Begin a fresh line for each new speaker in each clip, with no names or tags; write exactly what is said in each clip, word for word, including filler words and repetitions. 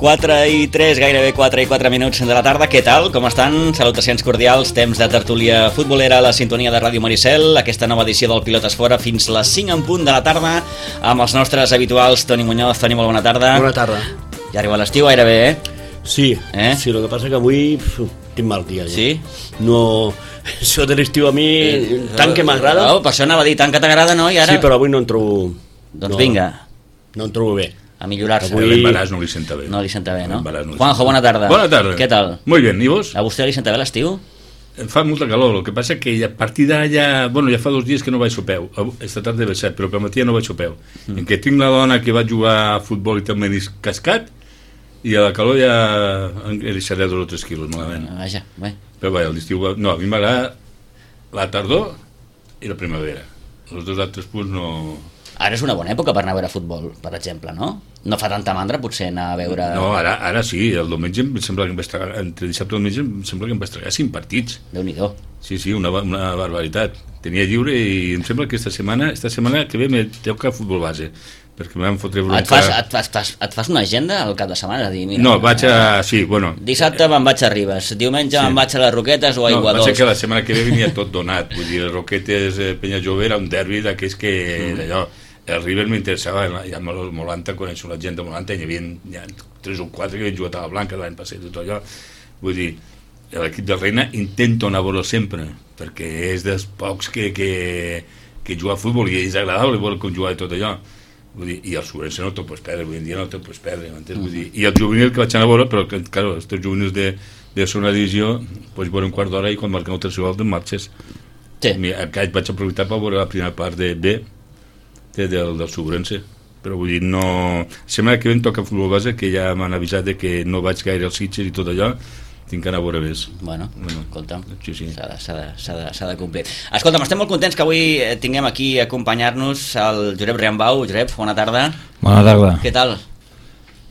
quatre i tres, gairebé quatre i quatre minuts de la tarda. Què tal? Com estan? Salutacions cordials, temps de tertúlia futbolera a la sintonia de Ràdio Maricel. Aquesta nova edició del Pilotes Fora fins les cinc en punt de la tarda amb els nostres habituals. Toni Muñoz. Toni, molt bona tarda.
Bona tarda.
Ja arriba l'estiu gairebé, eh?
Sí,
eh?
sí, el que passa que avui pf, tinc mal dia. Ja.
Sí?
No, això de l'estiu a mi eh, tant que m'agrada.
No, per això anava a dir, tant que t'agrada, no? I ara...
Sí, però avui no en trobo...
Doncs
no,
vinga.
No en trobo bé.
A millorar-se.
Avui...
L'embaràs no li senta bé.
No li senta bé, no?
No
Juanjo, bona tarda.
Bona tarda.
Què tal?
Muy bien, ¿y vos?
A vostè li senta bé l'estiu?
Fa molta calor, el que passa que a partir d'ara ja... Bueno, ja fa dos dies que no vaig a peu. Esta tarda he baixat, però per matí no vaig a peu. Mm. En què tinc la dona que va jugar a futbol i té el menisc cascat, i a la calor ja he deixat dos o tres quilos, malament.
Ah, vaja, bé.
Però bé, l'estiu... Va... No, a mi m'agrada la tardor i la primavera. Els dos altres punts no...
Ara és una bona època per anar a veure futbol, per exemple, no? No fa tanta mandra, potser, anar a veure...
No, ara, ara sí, el diumenge em sembla que em vaig tragar, entre dissabte i diumenge em sembla que em vaig tragar cinc partits.
Déu-n'hi-do.
Sí, sí, una, una barbaritat. Tenia lliure i em sembla que esta setmana, esta setmana que ve me toca futbol base, perquè m'han fotre bronca...
Et fas, et, fas, et, fas, et fas una agenda al cap de setmana? Dir, mira,
no, vaig a... Sí, bueno...
Dissabte me'n vaig a Ribes, diumenge sí. me'n vaig a les Roquetes o a Aigua
No, va ser
Dols.
que la setmana que ve venia tot donat. Vull dir, les Roquetes, eh, Penya Jove era un derbi d'aquells que... Mm. Allò, el River m'interessava, ja molt Molanta, coneixo la gent de Molanta, hi havia ja, tres o quatre que havien jugat a la Blanca l'any passat i tot allò. Vull dir, l'equip de Reina intento anar a veure sempre, perquè és dels pocs que, que, que juga a futbol i és agradable veure com jugar i tot allò. Vull dir, i el Sobrense no te'l pots perdre, avui en dia no te'l pots perdre, m'entens? Vull dir, i el juvenil que vaig anar a veure, però que, claro, els teus juvenils de, de segona divisió, pots veure un quart d'hora i quan marquen el tercer gol te'n marxes.
Sí.
Aquest vaig aprofitar per veure la primera part de B, del, del Sobrense, però vull dir, no... Sembla que ven toca futbol base, que ja m'han avisat de que no vaig gaire als Sitges i tot allò, tinc que anar a veure més.
Bueno, bueno, escolta'm,
sí, sí.
s'ha de, s'ha de, s'ha de, s'ha de complir. Escolta'm, estem molt contents que avui tinguem aquí a acompanyar-nos el Josep Riambau. Josep, bona tarda.
Bona tarda.
Què tal?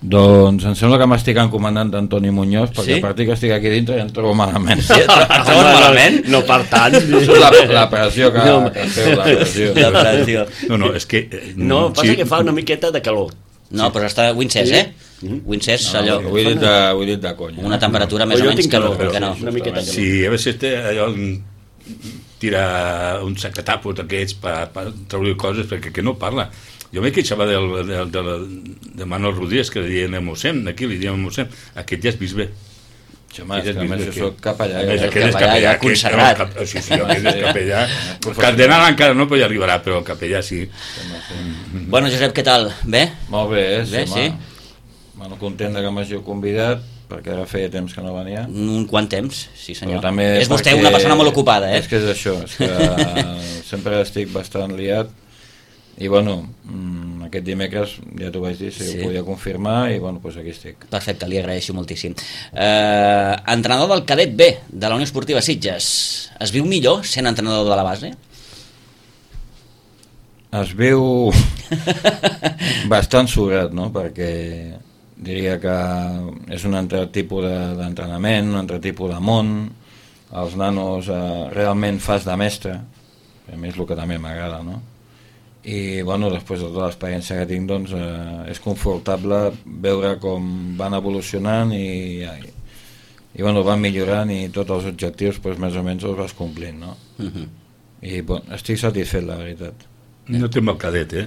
Doncs em sembla que m'estic encomandant d'Antoni Muñoz, perquè
sí?
a partir que estic aquí dintre ja em trobo malament.
Sí, et trobes malament?
No per tant.
La, la pressió que, no. que feu, la pressió.
La pressió.
No, no, és que... Eh,
no, passa
sí.
que fa una miqueta de calor.
No, però està Wincès, eh? Mm-hmm. Wincès,
no,
allò...
Ho he dit de, ho he dit de conya.
Una temperatura
no.
més o,
o
menys
calor,
que, que no.
Una miqueta calor.
Sí, a vegades té allò... Tira un sac de tapos d'aquests per, per treure coses, perquè que no parla. Jo m'he queixava del, del, del, de Manuel Rodríguez, que li diem el mossèn, aquí li diem el mossèn. Aquest ja és bisbe.
Home, és que a més jo soc capellà.
Aquest
és
és
capellà, ja consagrat.
Sí, sí, aquest és capellà. El cardenal encara no, però ja arribarà, però el capellà sí.
Bueno, Josep, què tal? Bé?
Molt bé,
bé
sí,
sí.
Bueno, content que m'hagi convidat, perquè ara feia temps que no venia.
Un quant temps, sí senyor.
També
és vostè una persona molt ocupada, eh?
És que és això, és que sempre estic bastant liat. I bueno, aquest dimecres ja t'ho vaig dir, si sí. ho podia confirmar, i bueno, doncs aquí estic.
Perfecte, li agraeixo moltíssim. Eh, entrenador del cadet B de la Unió Esportiva Sitges, es viu millor sent entrenador de la base?
Es viu bastant sobrat, no? Perquè diria que és un altre tipus d'entrenament, un altre tipus de món. Els nanos eh, realment fas de mestre, a més el que també m'agrada, no? I bueno, després de tota l'experiència que tinc, doncs eh, és confortable veure com van evolucionant i, i, i bueno, van millorant, i tots els objectius doncs, més o menys els vas complint, no? Uh-huh. I bueno, estic satisfet, la veritat.
No té el cadet, eh?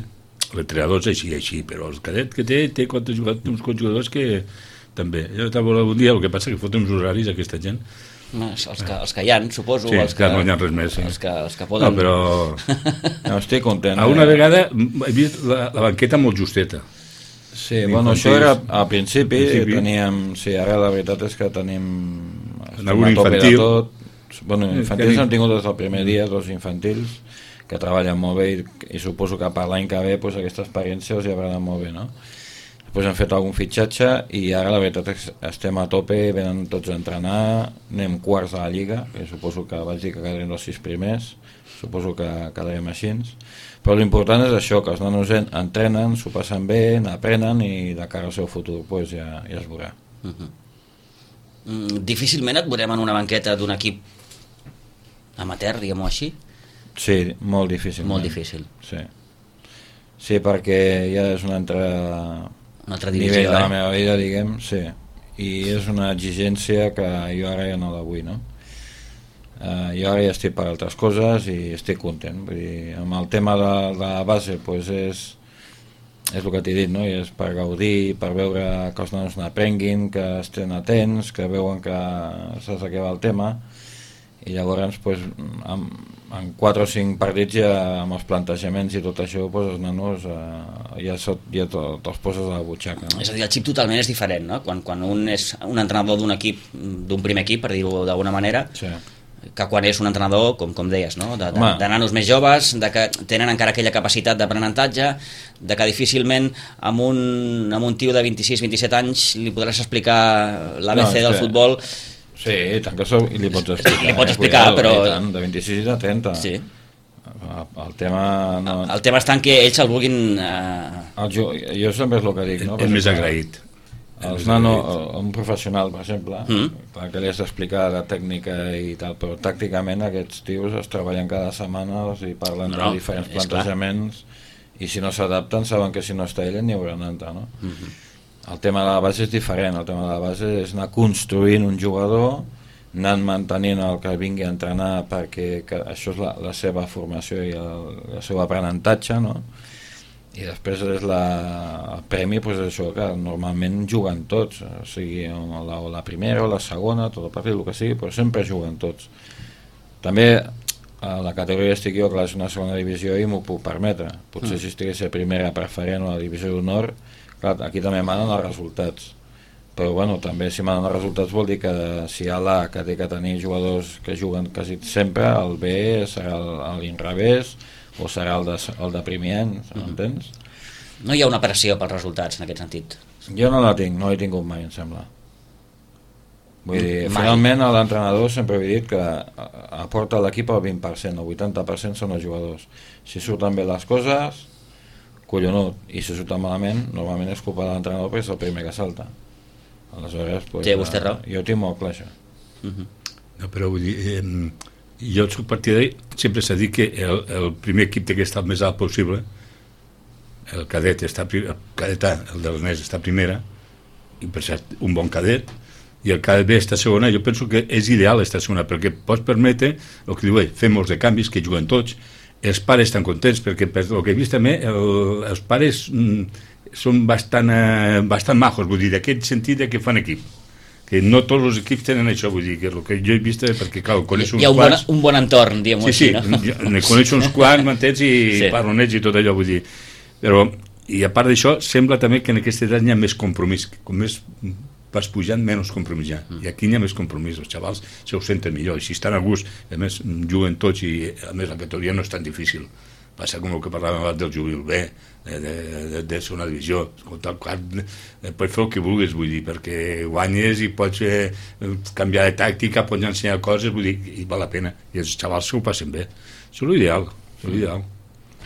L'entrenador és així, així, però el cadet que té, té quatre jugadors, uns quants jugadors que també. Jo t'ha volat un dia, el que passa que foten uns horaris aquesta gent.
Els que, els que hi ha, suposo,
sí,
els que,
no hi ha res més, sí.
els que, els que poden...
No, però...
no, estic content.
A una eh? vegada he vist la, la banqueta molt justeta.
Sí, bueno, això era al principi, principi. Teníem... Sí, ara la veritat és que tenim...
En algun infantil.
Tot. Bueno, infantils hem tingut des del primer dia, dos infantils, que treballen molt bé, i, i suposo que per l'any que ve pues, aquesta experiència els hi haurà anat molt bé, no? Després hem fet algun fitxatge i ara la veritat és que estem a tope, venen tots a entrenar, anem quarts a la Lliga, que suposo que vaig dir que quedarem els sis primers, suposo que quedarem així, però l'important és això, que els nanos entrenen, s'ho passen bé, n'aprenen i de cara al seu futur pues, ja, ja es veurà.
Uh-huh. Mm, difícilment et veurem en una banqueta d'un equip amateur, diguem-ho així?
Sí, molt difícil.
Molt difícil.
Sí. Sí, perquè ja és una altra
una altra divisió,
nivell de la
eh?
meva vida, diguem, sí. I és una exigència que jo ara ja no la vull, no? Uh, jo ara ja estic per altres coses i estic content. Vull dir, amb el tema de, de la base, pues és, és el que t'he dit, no? I és per gaudir, per veure que els nanos n'aprenguin, que estén atents, que veuen que saps de què va el tema, i llavors pues, en, en quatre o cinc partits ja amb els plantejaments i tot això pues, els nanos eh, ja, sot, ja te'ls poses a la butxaca, no?
És a dir, el xip totalment és diferent, no? Quan, quan un és un entrenador d'un equip, d'un primer equip, per dir-ho d'alguna manera,
Sí.
que quan és un entrenador, com, com deies, no? de, de,
Home.
de nanos més joves, de que tenen encara aquella capacitat d'aprenentatge, de que difícilment amb un, amb un tio de vint-i-sis vint-i-set anys li podràs explicar l'A B C
No,
del
és que-
futbol.
Sí, tant que sou, i li pots explicar.
Li pots
eh,
explicar,
cuidado,
però-
i tant, de vint-i-sis a trenta.
Sí.
El, el tema... No,
El tema està en que ells el vulguin... Eh...
el, jo, jo sempre és el que dic, no?
És
Per
més
exemple,
agraït.
Els nano, un professional, per exemple,
Mm.
clar que li has d'explicar la tècnica i tal, però tàcticament aquests tios es treballen cada setmana i parlen
No, no,
de diferents
és clar.
plantejaments i si no s'adapten saben que si no està ell n'hi hauran d'entrar, no?
Mm-hmm.
El tema de la base és diferent, el tema de la base és anar construint un jugador, anant mantenint el que vingui a entrenar perquè que això és la, la seva formació i el, el seu aprenentatge, no? I després és la, el premi, pues això que normalment juguen tots, o sigui, o la, o la primera o la segona, tot el partit, el que sigui, però sempre juguen tots. També a la categoria estic jo, clar, és una segona divisió i m'ho puc permetre. Potser
Mm.
si estigués a primera preferent o a la divisió d'honor, clar, aquí també manen els resultats. Però bueno, també si manen els resultats vol dir que si hi ha l'A que té que tenir jugadors que juguen quasi sempre, el B serà el- l'inrevés o serà el de, el de primer any, m'entens?
No hi ha una pressió pels resultats en aquest sentit.
Jo no la tinc, no l'he tingut mai, em sembla. Vull dir,
Mai.
finalment a l'entrenador sempre he dit que a- aporta a l'equip el vint per cent, el vuitanta per cent són els jugadors. Si surten bé les coses, collonut, i si surten malament, normalment és culpa de l'entrenador perquè és el primer que salta. Aleshores, pues,
Té vostè raó.
jo tinc molt clar això.
Uh-huh.
No, però vull dir, eh, jo soc partidari, sempre s'ha dit que el, el primer equip té que estar el més alt possible, el cadet està, pri- el cadet A, el de l'Ernest està a primera, i per cert, un bon cadet, i el cadet B està a segona. Jo penso que és ideal estar a segona, perquè pots permetre, el que diu ell, fer molts de canvis, que juguen tots, els pares estan contents, perquè per el que he vist també, el, els pares mm, són bastant, eh, bastant majos, vull dir, d'aquest sentit de que fan equip, que no tots els equips tenen això, vull dir, que el que jo he vist, perquè clar, coneixo uns
Hi ha un bon,
quants...
un bon entorn, diguem-ho
Sí, sí,
així, no?
jo ne coneixo uns quants, m'entens, i
Sí.
sí. parlo amb ells i tot allò, vull dir, però, i a part d'això, sembla també que en aquesta edat hi ha més compromís, com més vas pujant, menys compromís hi ha,
Mm.
i aquí hi ha més compromís, els xavals se ho senten millor, i si estan a gust, a més, juguen tots, i a més la categoria no és tan difícil, passa com el que parlàvem abans del jubil B, de, de, de, de segona divisió, escolta, clar, eh, pots fer el que vulguis, vull dir, perquè guanyes i pots eh, canviar de tàctica, pots ensenyar coses, vull dir, i val la pena, i els xavals s'ho passen bé, això és l'ideal, això és l'ideal.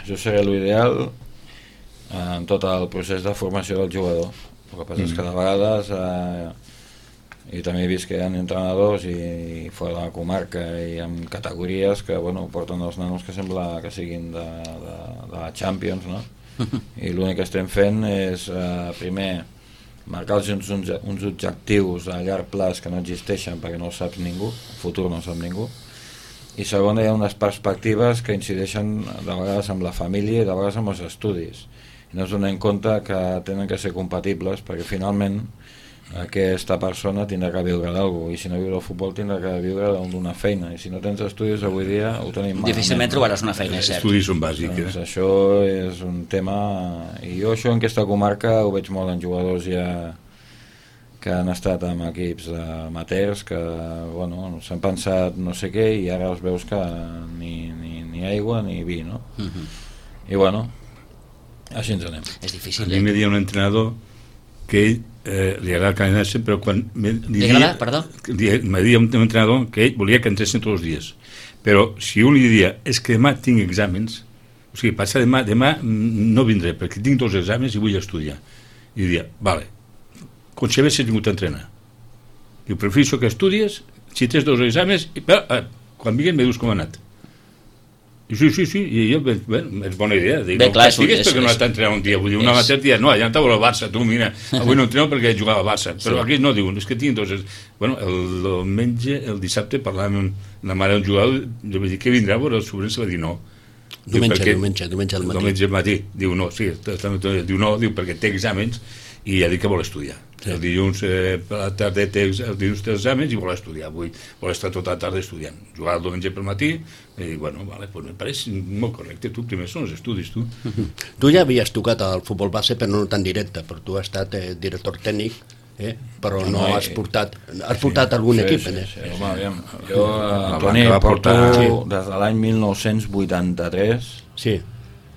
Això seria l'ideal en tot el procés de formació del jugador. El que passa mm. és que de vegades eh, i també he vist que hi ha entrenadors i, i fora de la comarca i amb categories que bueno, porten els nanos que sembla que siguin de, de, de la Champions, no? I l'únic que estem fent és eh, primer marcar-los uns, uns, uns objectius a llarg plaç que no existeixen perquè no ho saps ningú, el futur no ho sap ningú, i segon hi ha unes perspectives que incideixen de vegades amb la família i de vegades amb els estudis i no es donen compte que tenen que ser compatibles perquè finalment aquesta persona tindrà que viure d'algú i si no viure el futbol tindrà que viure d'una feina i si no tens estudis avui dia ho tenim malament.
Difícilment trobaràs una feina, és
Els
cert.
estudis són bàsics,
Doncs
eh?
això és un tema i jo això en aquesta comarca ho veig molt en jugadors ja que han estat amb equips amateurs que bueno, s'han pensat no sé què i ara els veus que ni, ni, ni aigua ni vi, no?
Uh -huh.
I bueno, així ens anem.
És
A
difícil,
mi me
eh?
deia un entrenador que ell eh, li agrada que anessin, però quan me, li
Li agrada, perdó?
Li, me deia un, un entrenador que ell volia que entressin tots els dies, però si un li diria és que demà tinc exàmens, o sigui, passa demà, demà no vindré perquè tinc dos exàmens i vull estudiar, i diria, vale, com si haguessis vingut a entrenar, diu, prefereixo que estudies si tens dos exàmens i, però, eh, quan vinguin me dius com ha anat. Sí, sí, sí, i jo, bé, és bona idea. Dic,
Bé,
no
clar, és un-
castigues
és-
perquè no
és-
està entrenant un dia. Vull dir, un
és-
amateur dia, no, allà estava el Barça, tu, mira, avui no entreno perquè jugava al Barça. Però
Sí.
aquí no, diuen, és que tinc dos... Bueno, el, el menja, el dissabte, parlàvem amb la mare d'un jugador, jo vaig dir, què vindrà? Però el sobrens va dir no. Diu,
Diumenge,
perquè-
diumenge, diumenge al matí.
Diumenge al matí. Diu no, sí, està- està- diu no, diu perquè té exàmens i ja dic que vol estudiar. Sí. El dilluns eh, per la tarda té, ex- el dilluns té exàmens i vol estudiar. Avui vol estar tota la tarda estudiant. Jugar el diumenge pel matí i dic, bueno, vale, pues me pareix molt correcte. Tu primer són els estudis, tu.
Tu ja havies tocat al futbol base, però no tan directe, però tu has estat eh, director tècnic, eh? però no,
No,
has
eh,
portat has portat algun
sí,
equip,
sí,
eh?
sí, home, aviam, jo,
La
eh, Toni,
Blanca va
porto
portar-
Sí.
des de l'any mil nou-cents vuitanta-tres
Sí,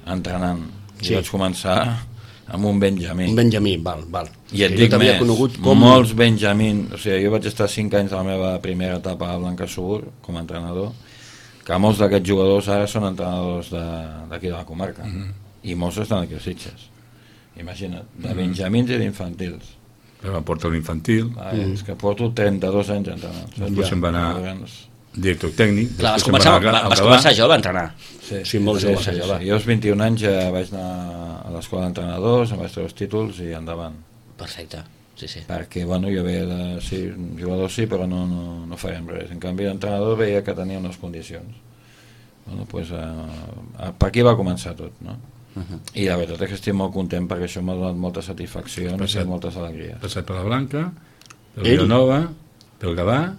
entrenant.
Sí.
I vaig començar amb un Benjamí.
un Benjamí, val, val.
I et
Que
dic
jo t'havia
més,
conegut com...
molts Benjamín, o sigui, jo vaig estar cinc anys de la meva primera etapa a Blancasur com a entrenador, que molts d'aquests jugadors ara són entrenadors de- d'aquí de, de la comarca, mm -hmm. i molts estan aquí a Sitges. Imagina't, de Benjamins i d'infantils.
Va portar l'infantil,
Ah, mm. És que porto trenta-dos anys entrenant.
després se'n va anar
Llavors,
director tècnic,
Clar, vas
després se'n
començar,
va anar a
vas
Gavà.
començar jove a entrenar.
Sí,
Sí, molt jove,
sí, sí,
jove.
sí. Jo als vint-i-un anys ja vaig anar a l'escola d'entrenadors, em vaig treure els títols i endavant.
Perfecte, sí, sí.
Perquè, bueno, jo veia de... Sí, jugador sí, però no, no, no farem res. En canvi, l'entrenador veia que tenia unes condicions. Bueno, pues, eh, per aquí va començar tot, no?
Uh -huh.
I la veritat és que estic molt content perquè això m'ha donat moltes satisfaccions
Passat.
i moltes alegries.
Passat per la Blanca, per
Ell?
Vilanova, pel Gavà,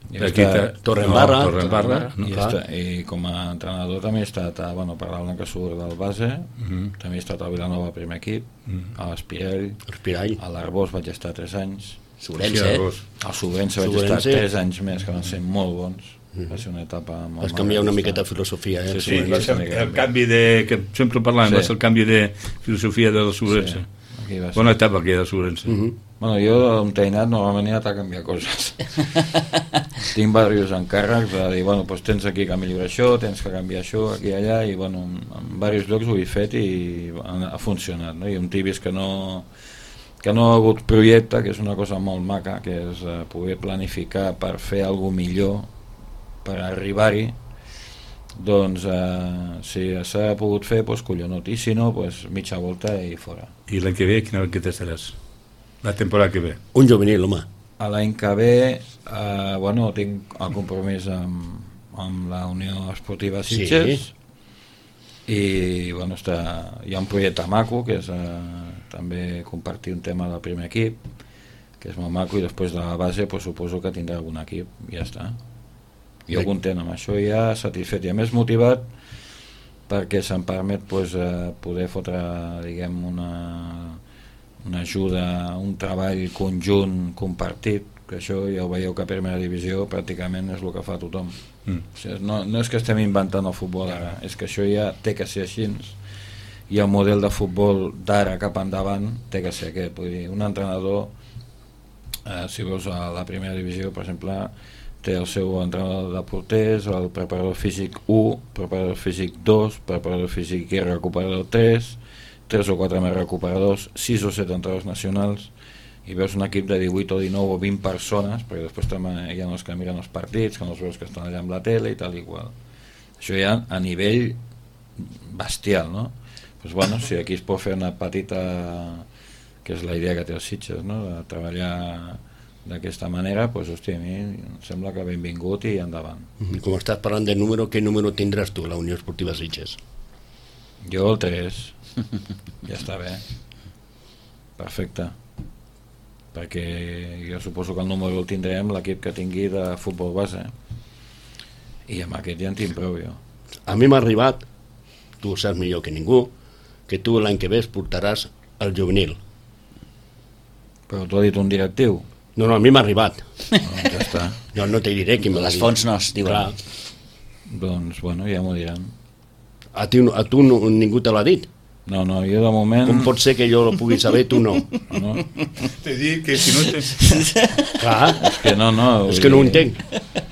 I,
aquí
està-
Torredembarra.
no, Torredembarra, no?
i,
Clar.
està, i com a entrenador també he estat a, bueno, per la Blanca Sur del base,
Mhm.
també he estat a Vilanova primer equip,
Mhm.
a l'Espirell,
Respirall.
a l'Arbós vaig estar tres anys,
Sobrense,
Sí,
eh?
Arbós.
al Sobrense vaig
Sobrense.
estar tres anys més, que van ser molt bons. Va ser una etapa molt
Vas canviar una
maca.
miqueta de filosofia, eh?
Sí,
Sí,
sí,
va
sí,
ser
sí,
el
sí.
canvi de... que sempre parlàvem,
Sí.
va ser el canvi de filosofia del Sobrense.
Sí, aquí va ser.
Bona etapa aquella del Sobrense.
Mhm.
Bueno, jo un teinat normalment he anat a canviar coses. Tinc diversos encàrrecs de dir, bueno, doncs tens aquí que millorar això, tens que canviar això, aquí i allà, i bueno, en, en diversos llocs ho he fet i ha, ha funcionat, no? I un tibis que no que no ha hagut projecte, que és una cosa molt maca, que és eh, poder planificar per fer alguna millor, per arribar-hi, doncs eh, si s'ha pogut fer, doncs collonut, i si no, doncs mitja volta i fora.
I l'any que ve, quina que t'estaràs? La temporada que ve.
Un juvenil, home.
A l'any que ve, eh, bueno, tinc el compromís amb, amb la Unió Esportiva Sitges,
Sí.
i bueno, està, hi ha un projecte maco, que és eh, també compartir un tema del primer equip, que és molt maco, i després de la base pues, suposo que tindrà algun equip, i ja està. Jo content amb això, ja satisfet i a més motivat, perquè se'm permet pues, eh, poder fotre, diguem, una, una ajuda, un treball conjunt compartit, que això ja ho veieu que a primera divisió pràcticament és el que fa tothom.
Mm.
O sigui, no, no és que estem inventant el futbol ara, és que això ja té que ser així, i el model de futbol d'ara cap endavant té que ser aquest. Vull dir, un entrenador, eh, si veus a la primera divisió, per exemple, té el seu entrenador de porters, el preparador físic u, preparador físic dos, preparador físic i recuperador tres, tres o quatre més recuperadors, sis o set entrenadors nacionals, i veus un equip de divuit o dinou o vint persones, perquè després també hi ha els que miren els partits, que no els veus que estan allà amb la tele i tal i qual. Això ja a nivell bestial, no? Pues bueno, si aquí es pot fer una petita, que és la idea que té els Sitges, no? De treballar d'aquesta manera, pues, hòstia, a mi em sembla que benvingut i endavant.
I com estàs parlant de número, què número tindràs tu, la Unió Esportiva Sitges?
Jo el tres, ja està bé, perfecte, perquè jo suposo que el número el tindrem l'equip que tingui de futbol base, i amb aquest ja en tinc prou jo.
A mi m'ha arribat, tu ho saps millor que ningú, que tu l'any que ve es portaràs el juvenil.
Però t'ho ha dit un directiu?
No, no, a mi m'ha arribat.
Doncs ja està.
Jo no te diré qui me l'ha
Les
dit.
fonts no es diuen.
Clar.
Doncs, bueno, ja m'ho diran.
A, ti, a tu no, ningú te l'ha dit.
No, no, jo de moment...
Com pot ser que jo ho pugui saber, tu no?
No,
Te dic que si no te...
Clar,
és que no, no...
és que no ho entenc.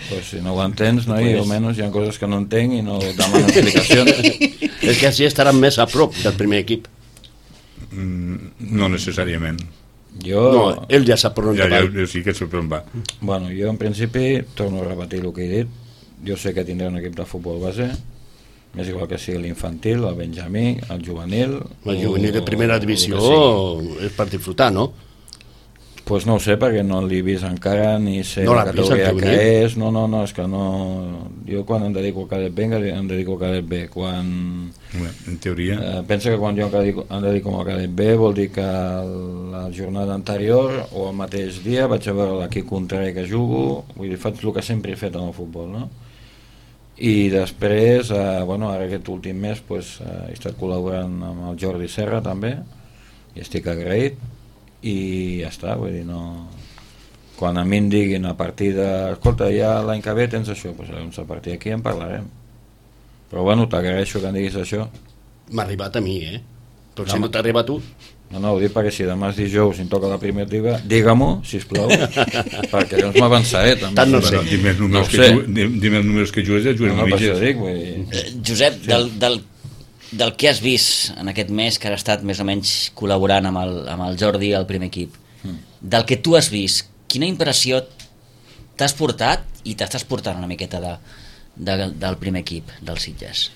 Pues si no ho entens, no? I almenys hi ha coses que no entenc i no demanen explicacions.
És que així estaran més a prop del primer equip.
Mm, no necessàriament.
Jo,
No, ell ja sap per on
Ja,
va.
ja, jo sí que sé per on va.
bueno, jo en principi torno a repetir el que he dit. Jo sé que tindré un equip de futbol base M'és igual que sigui l'infantil, el benjamí, el juvenil...
El juvenil de primera divisió és per disfrutar, no?
Doncs pues no ho sé, perquè no l'he vist encara, ni sé
no
la categoria que és, no, no, no, és que no... Jo quan em dedico al cadet B, em dedico al cadet B, quan...
En teoria...
Eh, pensa que quan jo em dedico, em dedico al cadet B vol dir que la jornada anterior o el mateix dia vaig a veure l'equip contrari que jugo, vull dir, faig el que sempre he fet en el futbol, no? I després, eh, bueno, ara aquest últim mes pues, eh, he estat col·laborant amb el Jordi Serra també, i estic agraït, i ja està, vull dir, no... Quan a mi em diguin a partir de... Escolta, ja l'any que ve tens això, doncs pues, a partir d'aquí en parlarem. Però bueno, t'agraeixo que em diguis això.
M'ha arribat a mi, eh? Però
No,
si no t'arriba a tu...
No, no, ho dic perquè si demà és dijous i em toca la primitiva, digue-m'ho, sisplau, perquè llavors m'avançaré també.
Tant no sé.
Bueno, dime els números,
No
que,
sé.
ju- di- dime els números que jugues i jugues
No, no,
no,
per això
mitges.
dic, vull dir...
Eh, Josep, del, del, del que has vist en aquest mes que has estat més o menys col·laborant amb el, amb el Jordi al primer equip,
Mm.
del que tu has vist, quina impressió t'has portat i t'estàs portant una miqueta de, de, del primer equip dels Sitges?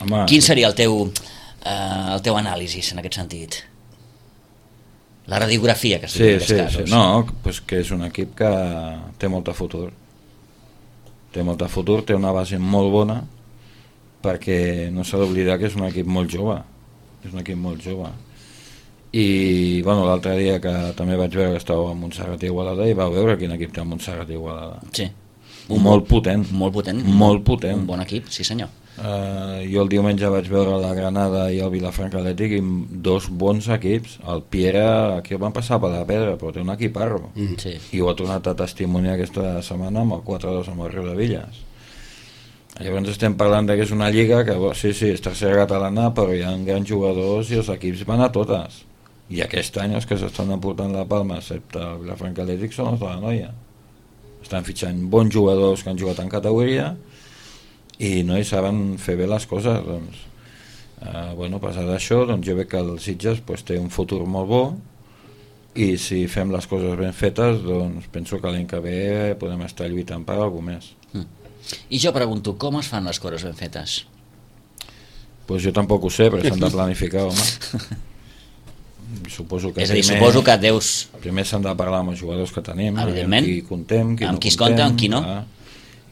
Home,
Quin seria el teu, eh, el teu anàlisi en aquest sentit? La radiografia que es diu
Sí,
en aquests
sí,
casos.
sí. No, pues que és un equip que té molta futur. Té molta futur, té una base molt bona, perquè no s'ha d'oblidar que és un equip molt jove. És un equip molt jove. I bueno, l'altre dia que també vaig veure que estava a Montserrat i Igualada i vau veure quin equip té a Montserrat i Igualada.
Sí.
Un molt potent.
Molt potent.
Molt potent.
Un bon equip, sí senyor.
Uh, jo el diumenge vaig veure la Granada i el Vilafranca Atlètic i dos bons equips. El Piera aquí el van passar per la pedra, però té un equiparro.
Mm. Sí.
I ho ha tornat a testimoniar aquesta setmana amb el quatre dos amb el Riu de Villas. Llavors estem parlant de que és una lliga que bo, sí, sí, és tercera catalana, però hi ha grans jugadors i els equips van a totes. I aquest any els que s'estan aportant la palma, excepte el Vilafranca Atlètic, són els de la noia. Estan fitxant bons jugadors que han jugat en categoria i no hi saben fer bé les coses. Doncs, eh, bueno, passat això, doncs jo veig que el Sitges pues, té un futur molt bo i si fem les coses ben fetes, doncs penso que l'any que ve podem estar lluitant per alguna més.
Mm. I jo pregunto, com es fan les coses ben fetes?
Pues jo tampoc ho sé, però s'han de planificar, home. Suposo que
És a dir,
primer,
suposo que deus...
primer s'han de parlar amb els jugadors que tenim,
Evidentment.
amb qui contem, qui
Amb
no
qui es
contem,
compta, amb qui no.
clar.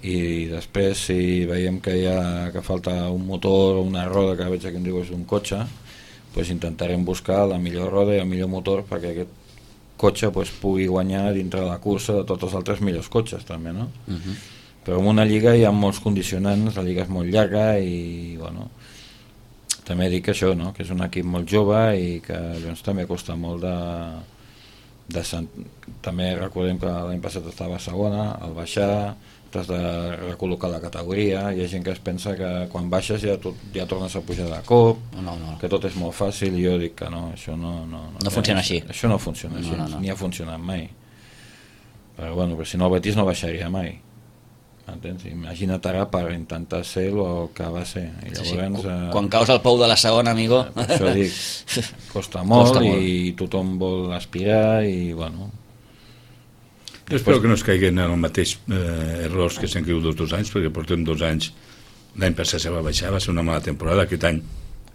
I després si veiem que hi ha que falta un motor o una roda, que veig que em diu és un cotxe, pues intentarem buscar la millor roda i el millor motor perquè aquest cotxe pues, pugui guanyar dintre de la cursa de tots els altres millors cotxes també, no?
Uh -huh.
Però en una lliga hi ha molts condicionants, la lliga és molt llarga i bueno, també dic això, no? Que és un equip molt jove i que doncs, també costa molt de, de sent... també recordem que l'any passat estava a segona, al baixar t'has de recol·locar la categoria, hi ha gent que es pensa que quan baixes ja, tot, ja tornes a pujar de cop,
No, no, no.
que tot és molt fàcil, i jo dic que no, això no, no,
No funciona així.
Això no funciona així,
No, no, no.
ni ha funcionat mai. Però bueno, però si no el Betis no baixaria mai. Entens? Imagina't ara per intentar ser el que va ser. I
Sí, sí.
llavors, eh,
Quan caus al pou de la segona, amigo...
per això dic, costa molt,
Costa molt.
i tothom vol aspirar i bueno...
Jo espero que no es caiguin en el mateix eh, errors que s'han caigut els dos anys, perquè portem dos anys, l'any passat se va baixar, va ser una mala temporada, aquest any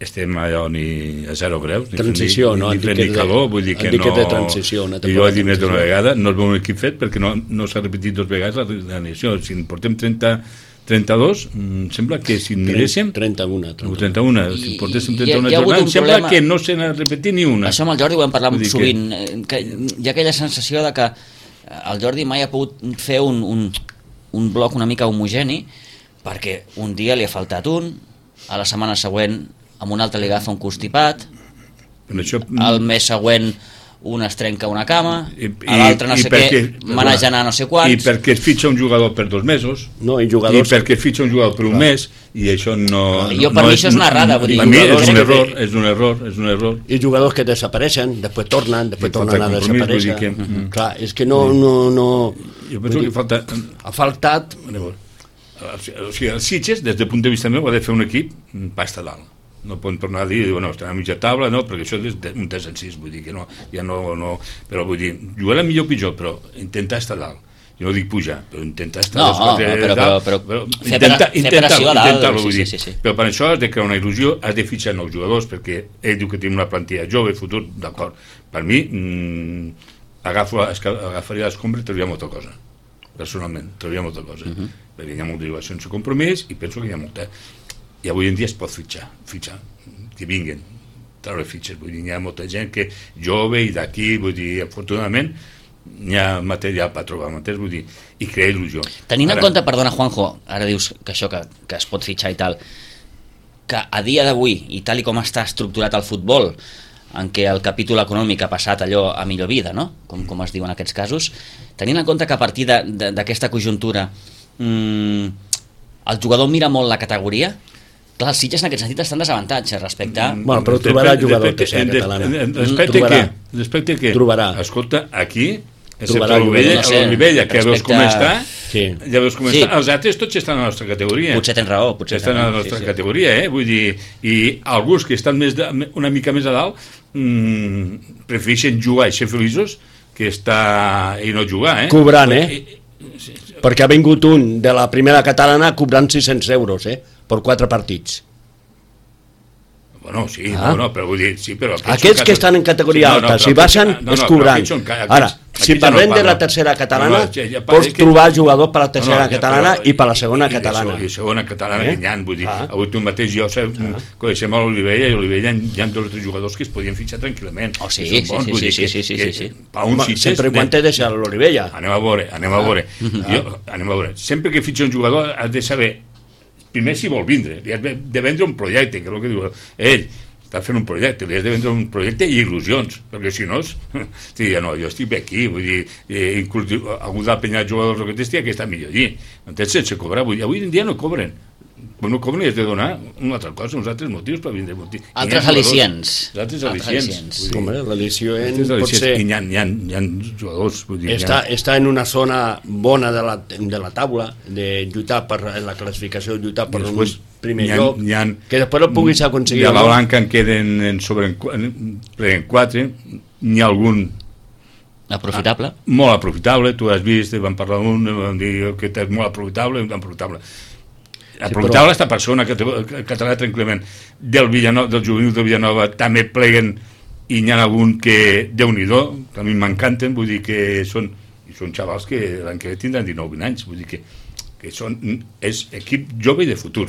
estem allò ni a zero greus, ni,
Transició,
ni,
no?
ni,
Han
ni
dit
fred
que
ni
de-
calor, vull dir
han
que
dit
no...
que de transició, una
I jo
temporada
he dit més d'una
de transició.
vegada, no és un equip fet perquè no, no s'ha repetit dos vegades la realizació. Si en portem trenta, trenta-dos, mm, sembla que si miréssim...
trenta-un.
o trenta-una,
I-
si portéssim
i-
trenta-una
hi ha hagut
jornades,
un
sembla
problema-
que no se n'ha repetit ni una.
Això amb el Jordi ho hem parlat
Vull dir
sovint, que... que hi ha aquella sensació de que el Jordi mai ha pogut fer un, un, un bloc una mica homogeni, perquè un dia li ha faltat un, a la setmana següent amb un altre li agafa un constipat,
Però això,
el mes següent un es trenca una cama,
I-
a l'altre no
i
sé
perquè-
què, manejant a no sé quants...
I perquè es fitxa un jugador per dos mesos,
No, i
i
jugadors...
perquè es fitxa un jugador per un mes, i això no...
Jo,
no,
per
no
mi això és una errada, vull dir,
per mi és
jugadors
un
que-
error, és un error, és un error.
I jugadors que desapareixen, després tornen, després
I
tornen
falta
a
compromís, vull
desaparèixer.
dir que-
Mm. Clar, és que no... no, no
Jo penso que falta...
ha faltat...
O sigui, el Sitges, des del punt de vista meu, ha de fer un equip pasta dalt. No poden tornar a dir, bueno, estan a mitja taula, no, perquè això és de- un tres en sis, vull dir que no, ja no, no, però vull dir, jugar a millor o pitjor, però intentar estar dalt. jo no dic pujar, però intenta estar
no,
a les quatre
no, però,
dalt,
però, però,
però
fer,
intenta,
fer
intenta,
pressió a dalt,
intenta,
sí,
sí,
sí, sí.
Però per això has de crear una il·lusió, has de fitxar nous jugadors, perquè ell diu que tenim una plantilla jove, futur, d'acord. Per mi, mmm, agafo, agafaria l'escombra i trauria molta cosa. Personalment, trauria molta cosa. Uh -huh. Perquè hi ha molta jugació sense compromís i penso que hi ha molta... I avui en dia es pot fitxar, fitxar, que vinguin, treure fitxes. Vull dir, hi ha molta gent que jove i d'aquí, vull dir, afortunadament, hi ha material per trobar, m'entens? Vull dir, i crear il·lusió.
Tenint
ara,
en compte, perdona Juanjo, ara dius que això, que, que es pot fitxar i tal, que a dia d'avui, i tal i com està estructurat el futbol, en què el capítol econòmic ha passat allò a millor vida, no? Com, com es diu en aquests casos, tenint en compte que a partir d'aquesta conjuntura mmm, el jugador mira molt la categoria, clar, els Sitges en aquest sentit estan desavantatge respecte a...
Bueno, però trobarà jugador tercera catalana.
Respecte què? Respecte què?
Trobarà.
Escolta, aquí,
Trobarà
excepte l'Olivella,
no sé,
l'Olivella, que ja veus com està,
Sí.
ja veus com
Sí.
està, els altres tots estan a la nostra categoria.
Potser tens raó, potser
estan a la nostra
sí, sí.
categoria, eh? Vull dir, i alguns que estan més de, una mica més a dalt mmm, prefereixen jugar i ser feliços que estar i no jugar, eh?
Cobrant, eh? Perquè ha vingut un de la primera catalana cobrant sis-cents euros, eh? Per quatre partits.
Bueno, sí,
Ah.
no, no, però vull dir, sí, però...
Aquests que estan en categoria alta, si baixen, és cobrant. Ara, si parlem de la tercera catalana, pots trobar jugadors per la tercera catalana i per la segona catalana.
I segona catalana que n'hi ha, vull dir, avui tu mateix jo coneixem a l'Olivella i a l'Olivella hi ha dos o tres jugadors que es podien fitxar tranquil·lament.
Oh, sí, sí, sí, sí, sí, sí, sí.
Sempre quan t'he deixat l'Olivella.
Anem a veure, anem a veure. Anem a veure. Sempre que fitxa un jugador has de saber primer si vol vindre, li has de vendre un projecte, que és el que diu ell, està fent un projecte, li has de vendre un projecte i il·lusions, perquè si no, sí, no, jo estic bé aquí, vull dir, eh, inclús algú de penyar jugadors o que t'estigui que està millor allí, entens? Sense cobrar, vull dir, avui en dia no cobren, no cobren i has de donar una altra cosa, uns altres motius per vindre.
Altres al·licients.
Altres al·licients.
Home, l'al·licient pot ser...
Hi ha, hi ha, hi ha jugadors, vull dir...
Està, està en una zona bona de la, de la taula, de lluitar per la classificació, lluitar per un primer
ha,
lloc,
ha,
que després el puguis aconseguir.
De la blanca en queden en sobre en, en quatre, n'hi ha algun
aprofitable?
Molt aprofitable, tu has vist, vam parlar d'un, vam dir que és molt aprofitable, aprofitable. Aprofitable aquesta persona que català tranquil·lament del Villanova, del juvenil de Villanova també pleguen i n'hi ha algun que Déu-n'hi-do, que a mi m'encanten, vull dir que són i són xavals que l'any que ve tindran dinou vint anys, vull dir que, que són, és equip jove i de futur,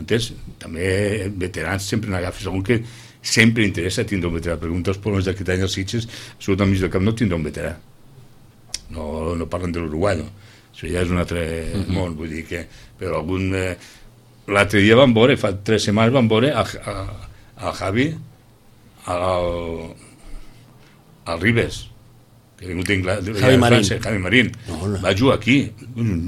entens? També veterans sempre n'agafes algun que sempre interessa tindre un veterà. Pregunta els problemes d'aquest any als Sitges, surt al mig del camp no tindrà un veterà, no, no parlen de l'Uruguai, no? Això ja és un altre uh-huh. món, vull dir que però algun... Eh, l'altre dia vam veure, fa tres setmanes vam veure al, al Javi al, al Ribes, que ha vingut d'Inglaterra,
Javi Marín.
Javi Marín.
No, no.
Va jugar aquí.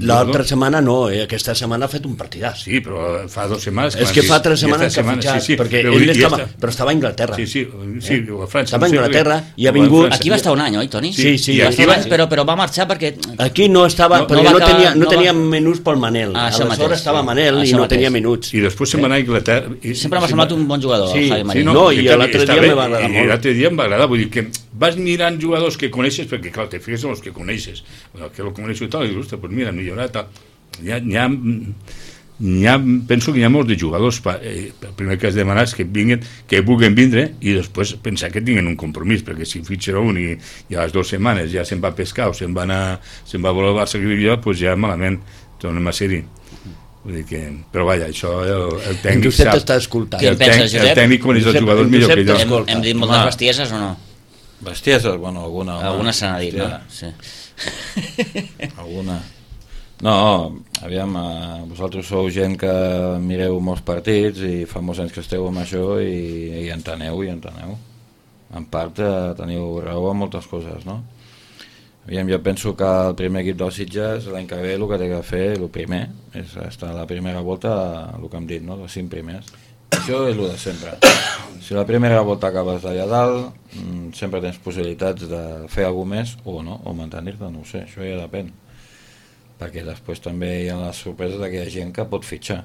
L'altra setmana no, eh? Aquesta setmana ha fet un partidàs.
Sí, però fa dues setmanes...
És que fa tres setmanes que ha fitxat, sí, sí, perquè
però,
ell estava,
està...
però estava a Anglaterra.
Sí, sí, sí,
eh?
a França.
Estava a Anglaterra i ha vingut...
Aquí va estar un any, oi, Toni?
Sí, sí.
Va
Aquí
estar
va...
anys, però, però va marxar perquè...
Aquí no estava,
no,
perquè
no,
no,
acabar,
tenia, no,
no
tenia
va...
menús pel Manel.
Ah,
aleshores estava
sí.
Manel i no mateix. Tenia minuts.
I després se'n va anar a Anglaterra... I,
Sempre m'ha semblat un bon jugador,
sí,
el Javi Marín.
Sí, no, no, i l'altre dia me va agradar molt.
I l'altre dia em va agradar, vull dir que vas mirant jugadors que coneixes, perquè clar, te fixes en els que coneixes, bueno, que el coneixo i tal, i dius, ostres, pues mira, millorat, tal. Hi ha, hi ha, hi ha, penso que hi ha molts de jugadors, pa, eh, el primer que has demanat és que vinguin, que vulguin vindre, i després pensar que tinguin un compromís, perquè si fitxen un i, i a les dues setmanes ja se'n va a pescar o se'n va, anar, se'n va a voler al Barça que vivia, doncs ja malament tornem a ser-hi. Vull dir que, però vaja, això el, el tècnic
Josep
sap.
t'està escoltant.
Què en penses, Josep?
El tècnic coneix els jugadors millor que jo.
Hem, hem dit moltes bestieses o no?
Bestieses, bueno, alguna.
Alguna se n'ha dit, no? Sí.
Alguna. No, aviam, eh, vosaltres sou gent que mireu molts partits i fa molts anys que esteu amb això i, i enteneu, i enteneu. En part eh, teniu raó en moltes coses, no? Aviam, jo penso que el primer equip dels Sitges l'any que ve el que té que fer, el primer, és estar a la primera volta, el que hem dit, no? Els cinc primers. Això és el de sempre. Si la primera volta acabes d'allà dalt, sempre tens possibilitats de fer alguna més o no, o mantenir-te, no ho sé, això ja depèn. Perquè després també hi ha les sorpreses de que hi ha gent que pot fitxar.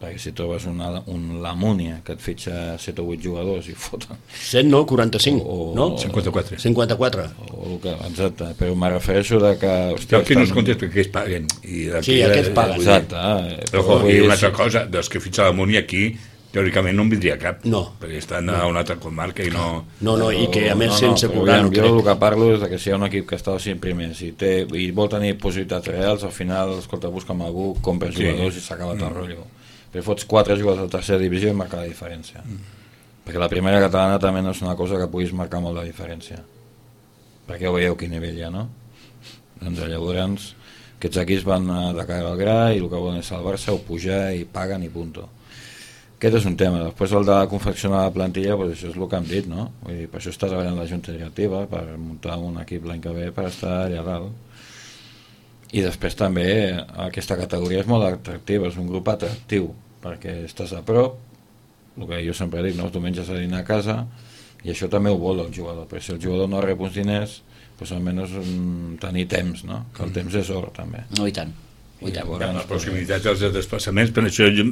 perquè si trobes una, un Lamúnia que et fitxa set o vuit jugadors i foten...
set no, quaranta-cinc,
o,
no?
cinquanta-quatre.
cinquanta-quatre.
O, que, exacte, però me refereixo de que...
Hòstia, que no es contesta que ells paguen. I
sí, aquests paguen.
Exacte.
Eh, però, i una altra cosa, dels que fitxa Lamúnia aquí, teòricament no en vindria cap,
no,
perquè estan no. a una altra comarca i no...
No, no, i que a més no, no, sense cobrar...
No, jo el que parlo és que si hi ha un equip que està als cinc primers i, té, i vol tenir possibilitats reals, al final, escolta, busca'm algú, compres sí. jugadors i s'ha acabat mm. el rotllo. Però fots quatre jugadors de tercera divisió i marca la diferència. Mm. Perquè la primera catalana també no és una cosa que puguis marcar molt la diferència. Perquè ja veieu quin nivell hi ha, no? Doncs llavors, aquests equips van de cara al gra i el que volen és salvar-se o pujar i paguen i punto. Aquest és un tema. Després el de confeccionar la plantilla, pues això és el que hem dit, no? Vull dir, per això està treballant la Junta Directiva, per muntar un equip l'any que ve per estar allà dalt. I després també aquesta categoria és molt atractiva, és un grup atractiu, perquè estàs a prop, el que jo sempre dic, no? Els diumenges a dinar a casa, i això també ho vol el jugador, perquè si el jugador no rep uns diners, pues almenys tenir temps, no? Que el temps és or, també.
No, i tant. I
llavors, les proximitats dels desplaçaments, per això jo,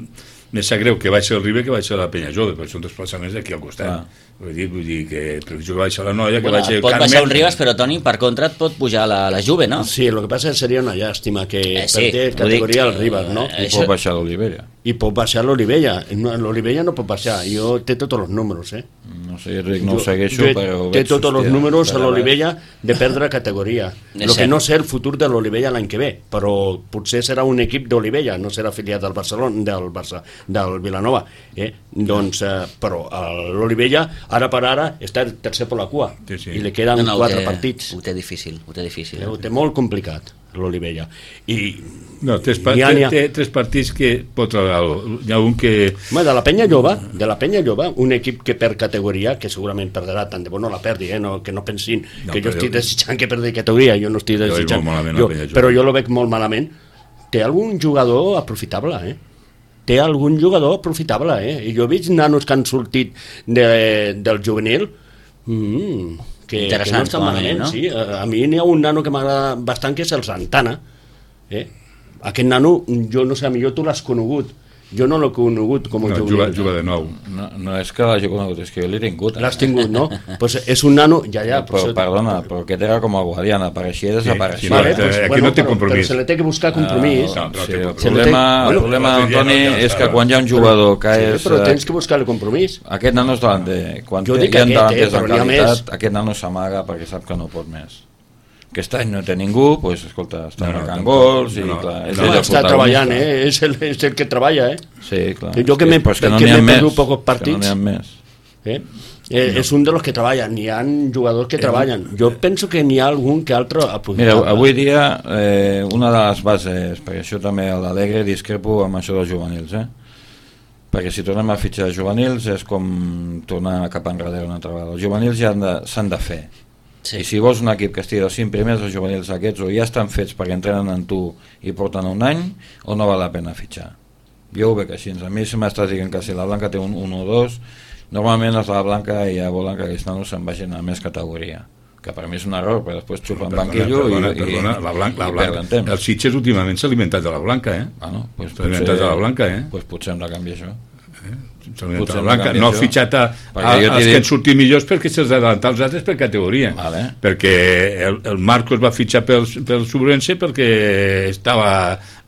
més sap greu que vaig ser el Ribe que vaig ser la Penya Jove, perquè són desplaçaments d'aquí al costat. Ah. Vull dir, vull dir que jo que vaig ser la Noia, que
bueno,
vaig ser el
pot
Carmen...
baixar un Ribes, però Toni, per contra et pot pujar la, la Juve, no?
Sí, el que passa seria una llàstima que
eh, sí,
perdés categoria el Ribes, no?
I això... pot baixar l'Olivella.
I pot baixar l'Olivella. L'Olivella no pot baixar, jo té tots els números, eh?
No sé, jo no ho segueixo,
jo,
però...
Té tots els números a l'Olivella de perdre categoria. El que no sé el futur de l'Olivella l'any que ve, però potser serà un equip d'Olivella, no serà afiliat del Barcelona, del Barça, del Vilanova, eh? Doncs, eh, però l'Olivella, ara per ara, està tercer per la cua, sí, sí. I li queden no, no, quatre
té,
partits.
Ho té difícil, ho té difícil.
Eh? Ho té molt complicat, l'Olivella. I...
No, tres, pa ha, ha... té tres partits que pot treballar. Hi ha un que...
Home, de la Penya Lloba, de la Penya Lloba, un equip que perd categoria, que segurament perdrà, tant de bo no la perdi, eh? no, que no pensin no, que jo estic desitjant que perdi categoria, jo no estic desitjant, jo, però jo lo veig molt malament. Té algun jugador aprofitable, eh? Té algun jugador aprofitable, eh? I jo he vist nanos que han sortit de, del juvenil, mm, que, que no estan malament, no? Sí, a, a mi n'hi ha un nano que m'agrada bastant, que és el Santana, eh? Aquest nano, jo no sé, millor tu l'has conegut, jo no l'he conegut com a
no,
jugador.
Juga, juga de nou.
No, no és que l'hagi conegut, és que jo l'he tingut. Eh?
L'has tingut, no? Pues és un nano, ja, ja.
Però, però perdona, però aquest era com el Guadiana, apareixia i desapareixia.
Sí, sí, vale, pues, aquí bueno, no té compromís.
Però se li té que buscar compromís.
Uh, no, sí, el problema, el problema Antoni, és que quan hi ha un jugador que
sí,
és...
Però tens que buscar-li compromís.
Aquest nano és delanter. Quan
jo
hi ha delanters
de
qualitat, aquest nano s'amaga perquè sap que no pot més. Aquest any no té ningú, doncs, escolta, està no, marcant no, gols i,
no,
clar,
és no, no, està treballant, eh? És el, és el que treballa, eh?
Sí, clar.
Jo que m'he
no
perdut pocs partits,
no més.
Eh? Eh, no. És un de los que treballen, n'hi ha jugadors que eh, treballen. Jo penso que n'hi ha algun que altre aprofitable.
Mira, avui dia, eh, una de les bases, perquè això també a l'Alegre discrepo amb això dels juvenils, eh? Perquè si tornem a fitxar juvenils és com tornar cap enrere una altra vegada. Els juvenils ja s'han de fer. Sí. I si vols un equip que estigui dels cinc primers, els juvenils aquests o ja estan fets perquè entrenen en tu i porten un any, o no val la pena fitxar. Jo ho veig així. A mi se m'estàs dient que si la Blanca té un un o dos, normalment els de la Blanca ja volen que aquests nanos se'n vagin a més categoria, que per mi és un error, perquè després xupen
perdona,
banquillo
perdona,
i,
perdona,
i,
la Blanca, la
i
Blanca.
perden temps.
El Sitges últimament s'ha alimentat de la Blanca, eh?
Ah, no? Pues
s'ha alimentat de la Blanca, eh?
Pues potser hem de canviar això.
Eh? La Blanca. No ha fitxat a, a, als que
dit...
han sortit millors perquè se'ls adelantat els altres per categoria,
vale.
Perquè el, el Marcos va fitxar pel, pel Sobrense perquè estava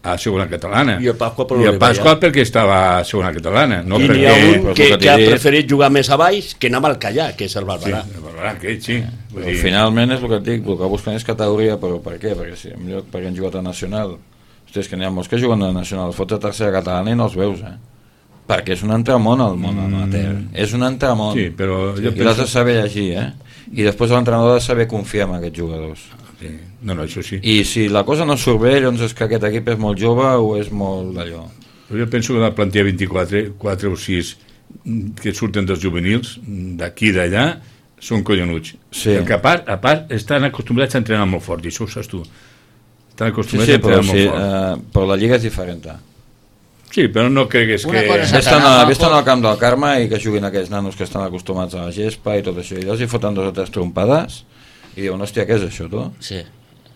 a segona catalana
i el Pasqua,
I el Pasqua perquè estava a segona catalana, no?
I
perquè...
n'hi ha un que, que ha preferit jugar més a baix que anar al Callà, que és el Barberà.
Sí, el Barberà, aquest, sí.
Però dir... finalment és el que et dic, el que busquen és categoria, però per què? Perquè si millor perquè han jugat a Nacional, hòstia, és que n'hi ha molts que juguen a Nacional, fots a tercera catalana i no els veus, eh? Perquè és un entramont al món amateur, mm. és un entramont,
sí, però jo
i penso... l'has de saber llegir, eh? I després l'entrenador ha de saber confiar en aquests jugadors.
Sí. No, no, això sí.
I si la cosa no surt bé, llavors és que aquest equip és molt jove o és molt d'allò.
Jo penso que la plantilla vint-i-quatre, quatre o sis que surten dels juvenils, d'aquí i d'allà, són collonuts. Sí. Perquè a part, a part estan acostumbrats a entrenar molt fort, i això ho saps tu. Estan acostumbrats sí, sí, a entrenar
però,
molt
sí,
fort.
Uh, però la lliga és diferent.
Sí, però no cregues que...
Vés-te'n al camp del Carme i que juguin aquells nanos que estan acostumats a la gespa i tot això, i els hi foten dos o tres trompades i diuen, hòstia, què és això, tu?
Sí.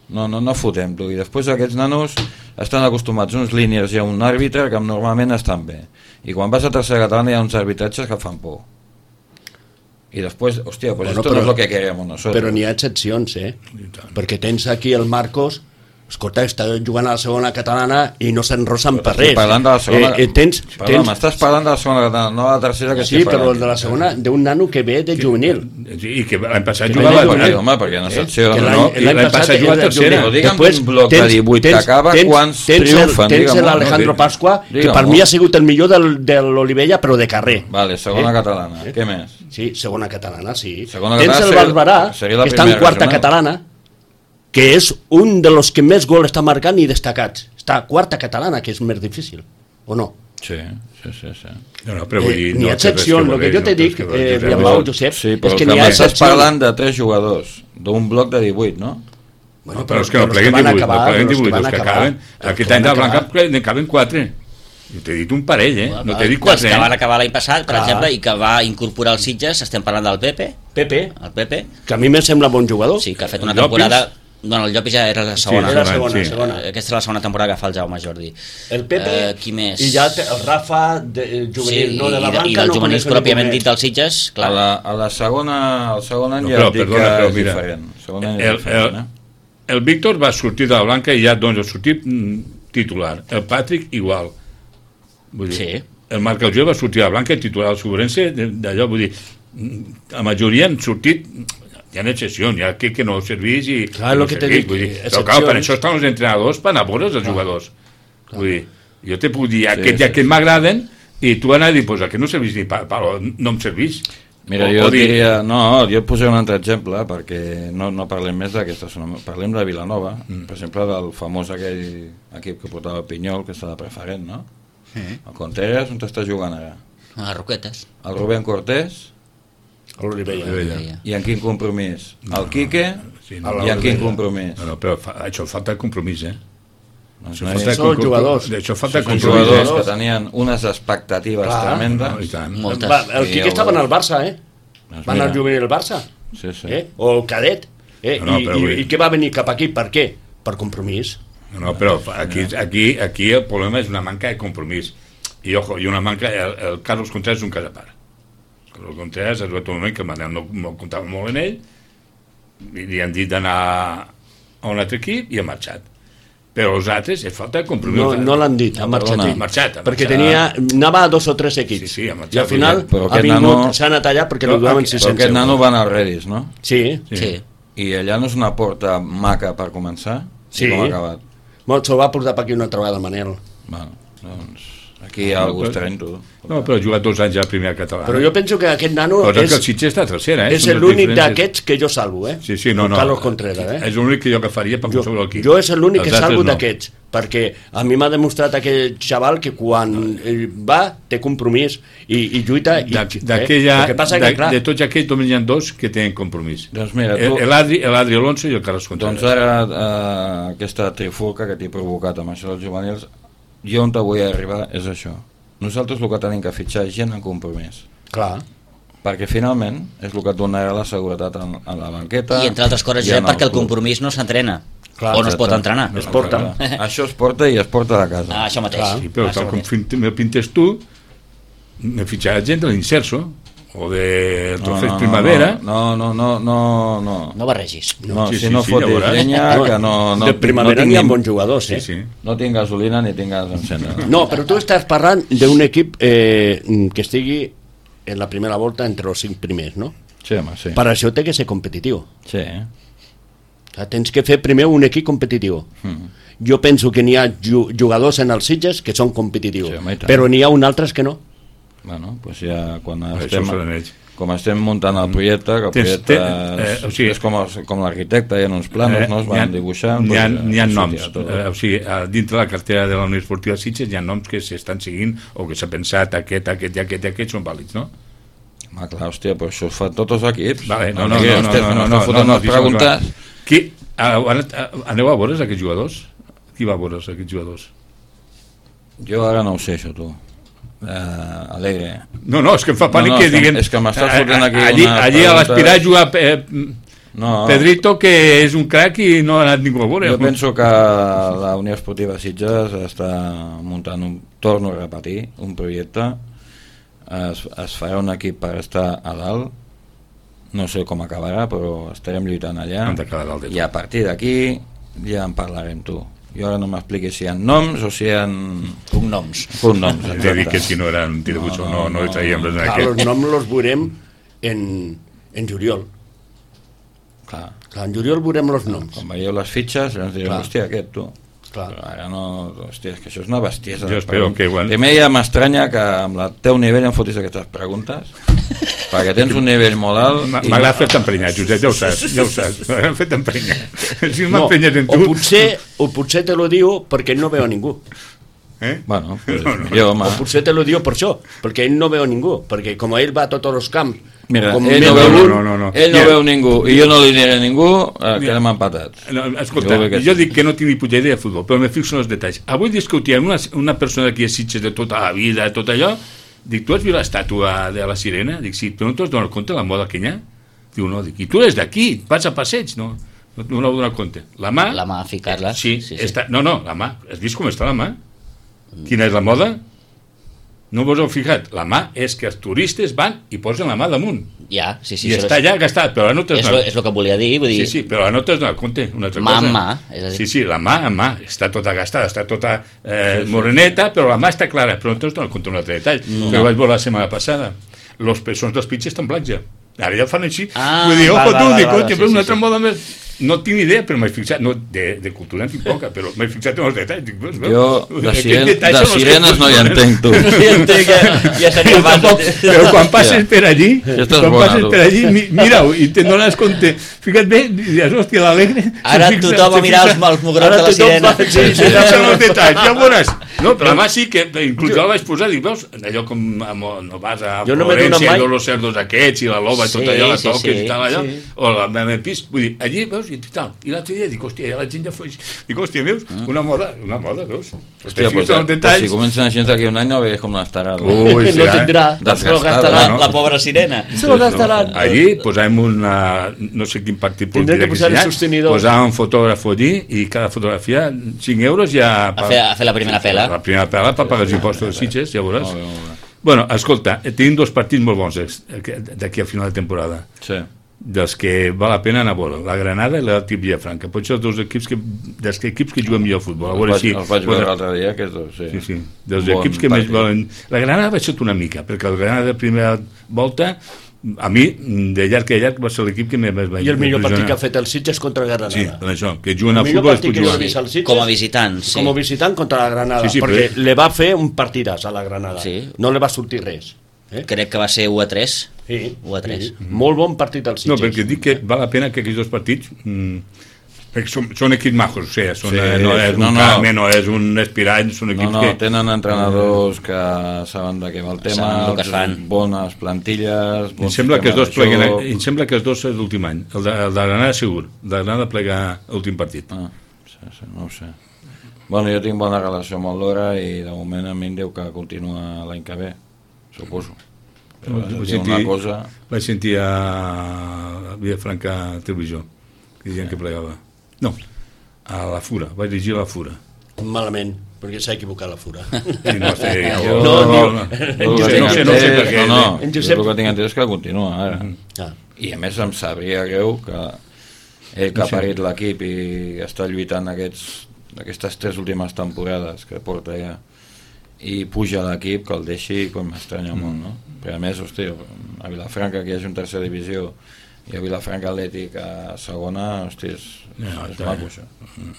no, no, no fotem, tu. I després aquests nanos estan acostumats a uns línies i a un àrbitre que normalment estan bé. I quan vas a tercera catalana hi ha uns arbitratges que fan por. I després, hòstia, pues bueno, esto però, no es lo que queremos nosotros.
Però n'hi ha excepcions, eh? Perquè tens aquí el Marcos, escolta, està jugant a la segona catalana i no s'enrosen per res.
Parlant de la segona...
Eh, eh, tens,
Perdó, tens... m'estàs parlant de la segona catalana, no de la tercera que
sí, estic parlant. Sí, però de la segona, d'un nano que ve de juvenil.
Sí, i que l'any passat jugava...
Sí, home, perquè no secció...
Eh? No, l'any passat jugava a tercera.
Digue'm un bloc de divuit que acaba, quants triomfen?
Tens l'Alejandro Pasqua, que per mi ha sigut el millor de l'Olivella, però de carrer.
Vale, segona catalana. Què més?
Sí, segona catalana, sí.
Tens
el Barberà, que està en quarta catalana, que és un de los que més gol està marcant i destacats. Està a quarta catalana, que és més difícil, o no?
Sí, sí, sí. sí.
No, no, però vull dir...
Eh, n'hi ha excepció, el que jo te dic, eh, Biambau, Josep,
sí, és que n'hi ha excepció. Estàs parlant de tres jugadors, d'un bloc de divuit, no?
Bueno, però, però és que no pleguen divuit, no pleguen divuit, els que acaben. Aquest any de Blanca n'acaben quatre. Jo t'he dit un parell, eh? No t'he dit quatre,
eh? Que van acabar l'any passat, per exemple, i que va incorporar els Sitges, estem parlant del Pepe.
Pepe.
El Pepe.
Que a mi me sembla bon jugador.
Sí, que ha fet una temporada... Bueno, el Llopis ja era la segona.
Sí, era la segona, sí. segona.
Aquesta és la segona temporada que fa el Jaume Jordi.
El Pepe
eh, qui més?
I ja el Rafa, de, el juvenil,
sí,
no de la banca.
I dels no juvenils pròpiament dit dels Sitges, clar.
A la, a la segona, al segon any no, ja et dic perdona, que és mira, diferent. Segon any
el,
és diferent,
el, eh? El Víctor va sortir de la Blanca i ja doncs, ha sortit titular. El Patrick igual. Vull dir, sí. El Marc Alger va sortir de la Blanca i titular al Sobrense, d'allò, vull dir, la majoria han sortit... Hi ha excepcions, hi ha que, que no serveix i...
Clar, el que t'he dit,
dir, però clar, per això estan els entrenadors, per anar a veure els jugadors. Clar. Vull dir, jo te puc dir, aquest i aquest m'agraden, i tu anar a dir, pues aquest no serveix ni pa, pa, no em serveix.
Mira, o, jo o dir... diria, no, jo et posaré un altre exemple, perquè no, no parlem més d'aquesta zona, parlem de Vilanova, mm. per exemple, del famós aquell equip que portava Pinyol, que està de preferent, no? Mm. El Contreras, on està jugant ara?
A les Roquetes.
El Rubén Cortés...
l'Olivella.
I en quin compromís? No, el Quique sí, no, i en quin compromís?
No, no, però fa, això falta compromís, eh?
No, això no falta són jugadors.
Això falta
sí, compromís. Jugadors que tenien unes expectatives clar, tremendes.
No,
Va, el Quique estava en el Barça, eh? Doncs va anar al juvenil al Barça.
Sí, sí.
Eh? O el cadet. Eh? No, no, I, i, I què va venir cap aquí? Per què? Per compromís.
No, no, però aquí, aquí, aquí el problema és una manca de compromís. I, ojo, i una manca... El, el Carlos Contreras és un cas a part. El Contreras ha arribat un moment que el Manel no, no comptava molt en ell i li han dit d'anar a un altre equip i ha marxat. Però els altres, és falta de compromís.
No, no l'han dit, ha marxat.
Ha marxat, ha
perquè tenia, anava a dos o tres equips.
Sí, sí, ha marxat.
I al final ha vingut, nano... s'ha anat allà perquè no, li donaven sis cents euros.
Però aquest nano va anar al Redis, no?
Sí.
sí. sí.
I allà no és una porta maca per començar?
Sí.
Com ha acabat?
Molt, se'l va portar per aquí una altra vegada, Manel.
Bueno, doncs... Aquí hi ha algú estrany, tu.
No, però ha jugat dos anys a la primera catalana.
Però jo penso que aquest nano
però
és...
que el Sitges està a tercera, eh?
És l'únic d'aquests que jo salvo, eh?
Sí, sí, no, no.
Carlos Contreras, eh?
És l'únic que jo agafaria per qualsevol equip.
Jo és l'únic que salvo no. d'aquests, perquè a mi m'ha demostrat aquell xaval que quan va té compromís i, i lluita... I,
D'aquella... Eh? Que, que, de tots aquells només hi ha dos que tenen compromís.
Doncs mira, tu...
L'Adri Alonso i el Carlos Contreras.
Doncs ara eh, aquesta trifulca que t'he provocat amb això dels juvenils, jo on te vull arribar és això. Nosaltres el que tenim que fitxar és gent en compromís.
Clar.
Perquè finalment és el que et donarà la seguretat en, en la banqueta.
I entre altres coses ja perquè el compromís no s'entrena. Clar, o no es pot entrenar.
Es porta.
Això es porta i es porta de casa.
Ah, això mateix.
Clar. Sí, però ah, tal com me pintes tu, me fitxarà gent de l'Inserso o de Trofeus no, no, Primavera.
No, no, no, no, no.
No barregis.
No,
sí,
si
sí,
no
sí,
fotis
ja
llenya, que no... no
de Primavera no tinguin... hi ha bons jugadors, eh?
Sí, sí.
No tinc gasolina ni tinc gas d'encendre.
No, però tu estàs parlant d'un equip eh, que estigui en la primera volta entre els cinc primers, no?
Sí, home, sí.
Per això té que ser competitiu.
Sí.
Tens que fer primer un equip competitiu. Mm. Jo penso que n'hi ha jugadors en els Sitges que són competitius, sí, però n'hi ha un altres que no.
Bueno, doncs ja quan
estem,
com estem muntant el projecte, que el projecte és, eh, o sigui, és com, els, com l'arquitecte, hi ha uns planos, eh, no? Es van ha, dibuixant.
N'hi ha, doncs, ha noms, eh, o sigui, dintre la cartera de la Unió Esportiva Sitges hi ha noms que s'estan seguint o que s'ha pensat aquest, aquest i aquest i aquest són vàlids, no?
Ah, clar, hòstia, però això ho fan tots els equips.
Vale, no, no, no, no, no, no, no, no, preguntes. Qui, aneu a veure aquests jugadors? Qui va a veure aquests jugadors?
Jo ara no ho sé, això, tu. Uh, alegre.
No, no, és que em fa pànic no, no, que diguin...
És que m'estàs fotent aquí
allí,
una
allí a l'aspirar a jugar eh, No. Pedrito, que és un crac i no ha anat ningú a veure.
Jo penso que la Unió Esportiva Sitges està muntant un, torno a repetir, un projecte, es, es farà un equip per estar a dalt, no sé com acabarà, però estarem lluitant allà, i a partir d'aquí ja en parlarem, tu. Jo ara no m'expliquis si hi ha noms o si hi ha
cognoms.
Cognoms,
exacte. He dit que si no eren tirabuixos, no, no, no, no traiem res en aquest.
Els noms els veurem en, en juliol.
Clar.
Clar, en juliol veurem els noms.
Quan veieu les fitxes, ens direm, hòstia, aquest, tu. Clar. Però ara no, hòstia, és que això és una bestiesa.
Jo espero que... Bueno.
Primer ja m'estranya que amb el teu nivell em fotis aquestes preguntes, perquè tens un nivell molt alt...
M'agrada fer-te emprenyar, Josep, ja ho saps, ja ho saps. M'agrada fer-te emprenyar. Si m'emprenyes en tu...
O potser, o potser te lo diu perquè no veu a ningú.
Eh? Bueno, pues, no, no. Jo,
o potser te lo diu per això, perquè ell no veu a ningú, perquè com ell va a tots els camps,
mira,
com
ell no veu, no, no, no. Ell no
ja.
veu ningú i jo no li diré a ningú, eh, quedem empatats.
No, escolta, jo, jo dic que no tinc ni puta idea de futbol, però me fixo en els detalls. Avui discutíem una, una persona d'aquí a Sitges de tota la vida, tot allò, dic, tu has vist l'estàtua de la sirena? Dic, sí, però no t'has donat compte de la moda que hi ha? Diu, no, dic, i tu eres d'aquí, vas a passeig? No, no, no m'ho donat compte. La mà...
La mà, ficar-la.
Sí, sí, sí. Està, no, no, la mà. Has vist com està la mà? Quina és la moda? No vos heu fixat? La mà és que els turistes van i posen la mà damunt.
Ja, sí, sí.
I està allà gastat, però no t'has
donat... És el que volia dir, vull dir...
Sí, sí, però no t'has donat compte, una altra
mà
cosa.
Mà mà, és a dir...
Sí, sí, la mà en mà, està tota gastada, està tota eh, sí, sí. moreneta, però la mà està clara, però no t'has donat compte un altre detall, no. que ho vaig veure la setmana passada. Los peixons dels pitxes estan blancs ja. Ara ja fan així.
Ah,
vull dir,
va,
ojo,
va,
tu,
va,
dic,
va,
sí,
sí,
una
sí,
altra
sí.
moda més... No tinc idea, però m'he fixat, no, de, de cultura en tinc poca, però m'he fixat en els detalls. Dic, veus,
jo de, siren, de sirenes no hi entenc, tu.
No hi entenc, ja, ja seria
tampoc, però quan passes ja. per allí,
ja
quan
bona,
passes
tu.
per allí, mi, mira-ho, i te'n dones compte. Fica't bé, dius, hòstia, l'alegre...
Ara fixa, tothom a mirar els, els mugrons de la sirena.
Va, sí, sí, ja són els detalls, ja veuràs. No, però demà sí que, inclús jo la vaig posar, dic, veus, allò com no vas a Florència, i los cerdos aquests, i la loba, i tot allò, la toques i tal, allò, o la meva pis, vull dir, allí, veus, i tal. I l'altre dia dic, hòstia, ja la gent ja fos... Dic, hòstia, veus, una moda, una moda, veus?
Hòstia, pues, pues si comencen així d'aquí un any no veus com l'estarà.
Ui, no tindrà,
se lo gastarà la pobra sirena.
Se lo gastaran.
Allí posàvem una... no sé quin partit polític que hi ha, posàvem un fotògraf allí i cada fotografia, cinc euros ja...
A fer, a fer la primera pela.
La primera pela per pagar els impostos de Sitges, ja veuràs. Bueno, escolta, tenim dos partits molt bons d'aquí al final de temporada.
Sí.
Dels que val la pena anar a veure, la Granada i l'Atlètic Vilafranca. Potser els dos equips que, dels que equips que juguen millor al futbol. A veure
els,
si,
els vaig veure l'altre dia, aquests dos, sí.
Sí, sí, dels bon equips que partit. Més volen... La Granada va ser una mica, perquè la Granada de primera volta, a mi, de llarg a llarg, va ser l'equip que més va...
I el millor partit que ha fet el Sitges contra la Granada.
Sí, per això, que juguen a futbol es pot jugar.
Sitges,
com a visitant, sí.
Com a visitant contra la Granada, sí, sí, perquè però... le va fer un partidàs a la Granada. Sí. No li va sortir res.
Eh? Crec que va ser u a tres.
Sí,
u a tres.
Sí. Molt bon partit del Sitges.
No, perquè dic que val la pena que aquests dos partits... Mm, perquè són, són equips majos, o sigui, són, sí, no és no, un no. Carme, no és un Espirany, són equips
no, no,
que...
tenen entrenadors que saben de què va el tema,
el que fan.
Bones plantilles...
Em sembla que els dos pleguen, em sembla que els dos és l'últim any, el de, el de Granada segur, el de Granada plega l'últim partit.
Ah, sí, sí, no ho sé. Bueno, jo tinc bona relació amb el Lora i de moment a mi em diu que continua l'any que ve, suposo. Però
vaig,
vaig,
sentir,
una cosa...
vaig sentir a Vilafranca Televisió, que diuen que plegava. No, a la Fura, vaig dirigir a la Fura.
Malament, perquè s'ha equivocat la Fura.
I no sé,
jo, no, no, no, no,
no, sé, no, sé, no sé per què.
No, no, en Josep... el que tinc entès és que continua ara.
Mm. Ah.
I a més em sabria greu que ell que ha parit l'equip i està lluitant aquests, aquestes tres últimes temporades que porta ja i puja a l'equip, que el deixi, com m'estranya mm. molt, no? Però a més, hosti, a Vilafranca que hi hagi un tercera divisió i a Vilafranca Atlètic a segona, hosti, és, no, és maco això. Mm.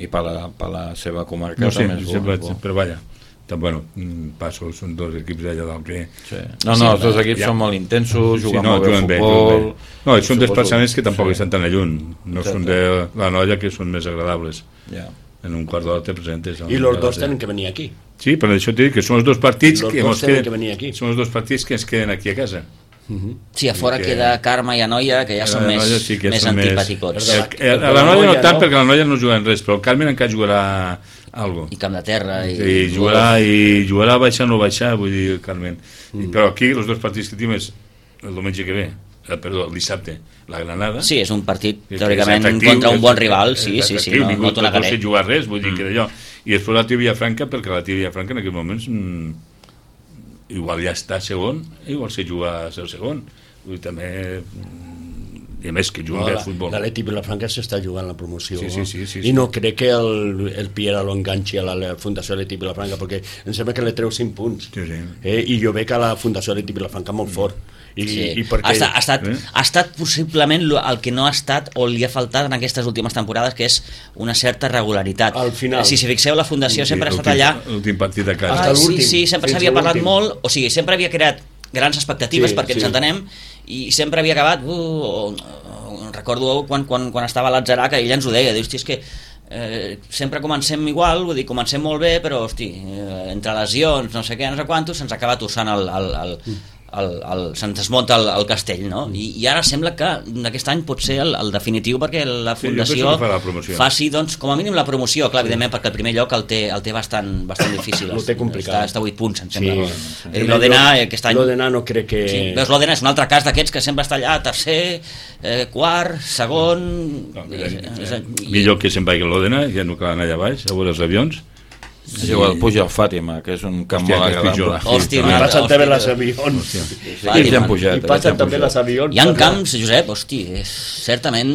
I per la, per la seva comarca
no sé,
també és bo.
Sempre, però vaja, bueno, passo, són dos equips d'allà dalt que...
Sí. No, no, els dos equips ja. Són molt intensos, juguen sí, no, molt bé al futbol...
Bé, no, són desplaçaments que tampoc sí. Estan tan lluny, no Exacte. Són de la Noia, que són més agradables.
Ja.
En un quart d'hora te presentes...
I els dos tenen que venir aquí.
Sí, però això t'he dit que són els dos partits
los
que,
dos
queden,
que venir aquí.
Són els dos partits que ens queden aquí a casa.
Uh-huh. Sí, a fora que... queda Carme i Anoia, que ja són més, sí que més antipàticots.
A la Noia no tant, no? Perquè la Noia no juguen res, però el Carmen encara jugarà algo.
I Camp de Terra. I,
I, jugarà, i jugarà a baixar o no baixar, vull dir, el Carmen. Mm. Però aquí, els dos partits que tenim és el diumenge que ve, eh, perdó, el dissabte, la Granada.
Sí, és un partit, teòricament, efectiu, contra un bon rival, sí, sí, sí, no, no t'ho negaré.
No sé jugar res, vull dir que d'allò. I després la Tia Villafranca, perquè la Tia Villafranca en aquests moments mmm, igual ja està segon, igual sé jugar a ser segon. Vull dir, també... i a més que juguen no, bé al futbol.
L'Atleti Vilafranca s'està jugant la promoció,
sí, sí, sí, sí,
i
sí.
no crec que el, el Piera lo enganxi a la, la Fundació Atleti Vilafranca, perquè em sembla que li treu cinc punts,
sí, sí.
Eh? I jo veig a la Fundació Atleti Vilafranca molt fort. I,
sí.
i perquè...
ha, estat, ha, estat, eh? ha estat possiblement el que no ha estat o li ha faltat en aquestes últimes temporades, que és una certa regularitat.
Al final.
Si si fixeu, la Fundació sí, sempre ha estat allà...
L'últim partit de casa.
Ah, sí, sí, sempre s'havia parlat molt, o sigui, sempre havia creat grans expectatives, sí, perquè sí. ens entenem, i sempre havia acabat... Uh, uh, recordo quan, quan, quan estava a l'Atzarà, que ell ens ho deia, diu, hosti, és que eh, sempre comencem igual, vull dir, comencem molt bé, però, hosti, eh, entre lesions, no sé què, no sé quantos, se'ns acaba torçant el... el, el mm. El, el, se'ns desmunta el, el castell, no? I, i ara sembla que aquest any pot ser el, el definitiu, perquè la Fundació
sí, fa
faci, doncs, com a mínim la promoció, clar, sí. evidentment, perquè el primer lloc el té, el té bastant, bastant difícil.
Ho té complicat.
Està, està a vuit punts, em sembla.
Sí, sí.
I l'Òdena aquest any...
L'Òdena no crec que...
Sí. Veus, l'Òdena és un altre cas d'aquests que sempre està allà, tercer, eh, quart, segon... No,
mira, és, és, i... Millor que se'n vagi l'Òdena, ja no cal anar allà baix, a veure els avions.
Sí. Igual puja el Fàtima, que és un camp molt agradable.
Hòstia, i passen també les avions.
I ja han pujat.
I passen també les avions.
Hi ha camps, Josep, hosti, és certament...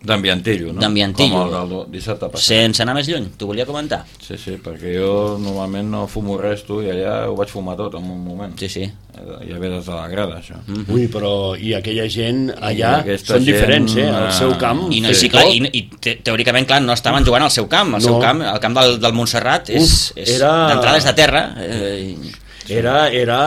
D'ambientillo, no?
D'ambientillo.
Com el del dissabte passat.
Sense anar més lluny, t'ho volia comentar.
Sí, sí, perquè jo normalment no fumo res, tu, i allà ho vaig fumar tot en un moment.
Sí, sí.
Ja ve des de la grada, això.
Mm-hmm. Ui, però i aquella gent allà són diferents, eh? Al seu camp.
I, no, sí, clar, i, i te, teòricament, clar, no estaven jugant al seu camp. El no. seu camp, el camp del, del Montserrat, és, Uf, és era... d'entrada és de terra. Eh,
Era, era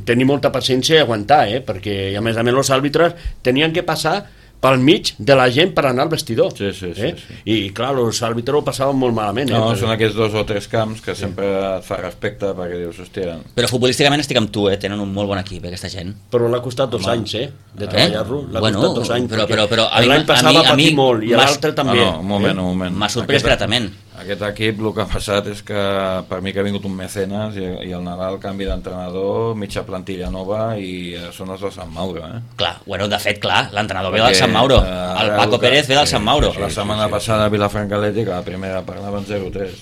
tenir molta paciència i aguantar, eh? Perquè a més a més els àrbitres tenien que passar pel mig de la gent per anar al vestidor.
Sí, sí, sí,
eh?
sí.
I, clar, els àrbitres ho passaven molt malament.
No,
eh?
són aquests dos o tres camps que sempre et fa respecte, perquè dius, hòstia...
Però futbolísticament estic amb tu, eh? Tenen un molt bon equip, aquesta gent.
Però l'ha costat dos Home. anys, eh? De treballar-lo. L'ha
bueno,
costat dos anys.
Però, però, però,
l'any passat va patir molt, i l'altre també.
No, no, un moment, un moment.
M'ha sorprès gratament.
Aquest equip el que ha passat és que per mi que ha vingut un mecenes i, i el Nadal canvi d'entrenador, mitja plantilla nova i són els del Sant Mauro, eh?
Clar, bueno, de fet, clar, l'entrenador ve del Sant Mauro, el Paco que, Pérez ve del sí, Sant Mauro.
Sí, la setmana sí, sí, passada a Vilafranca Atlètic, la primera parlaven zero tres.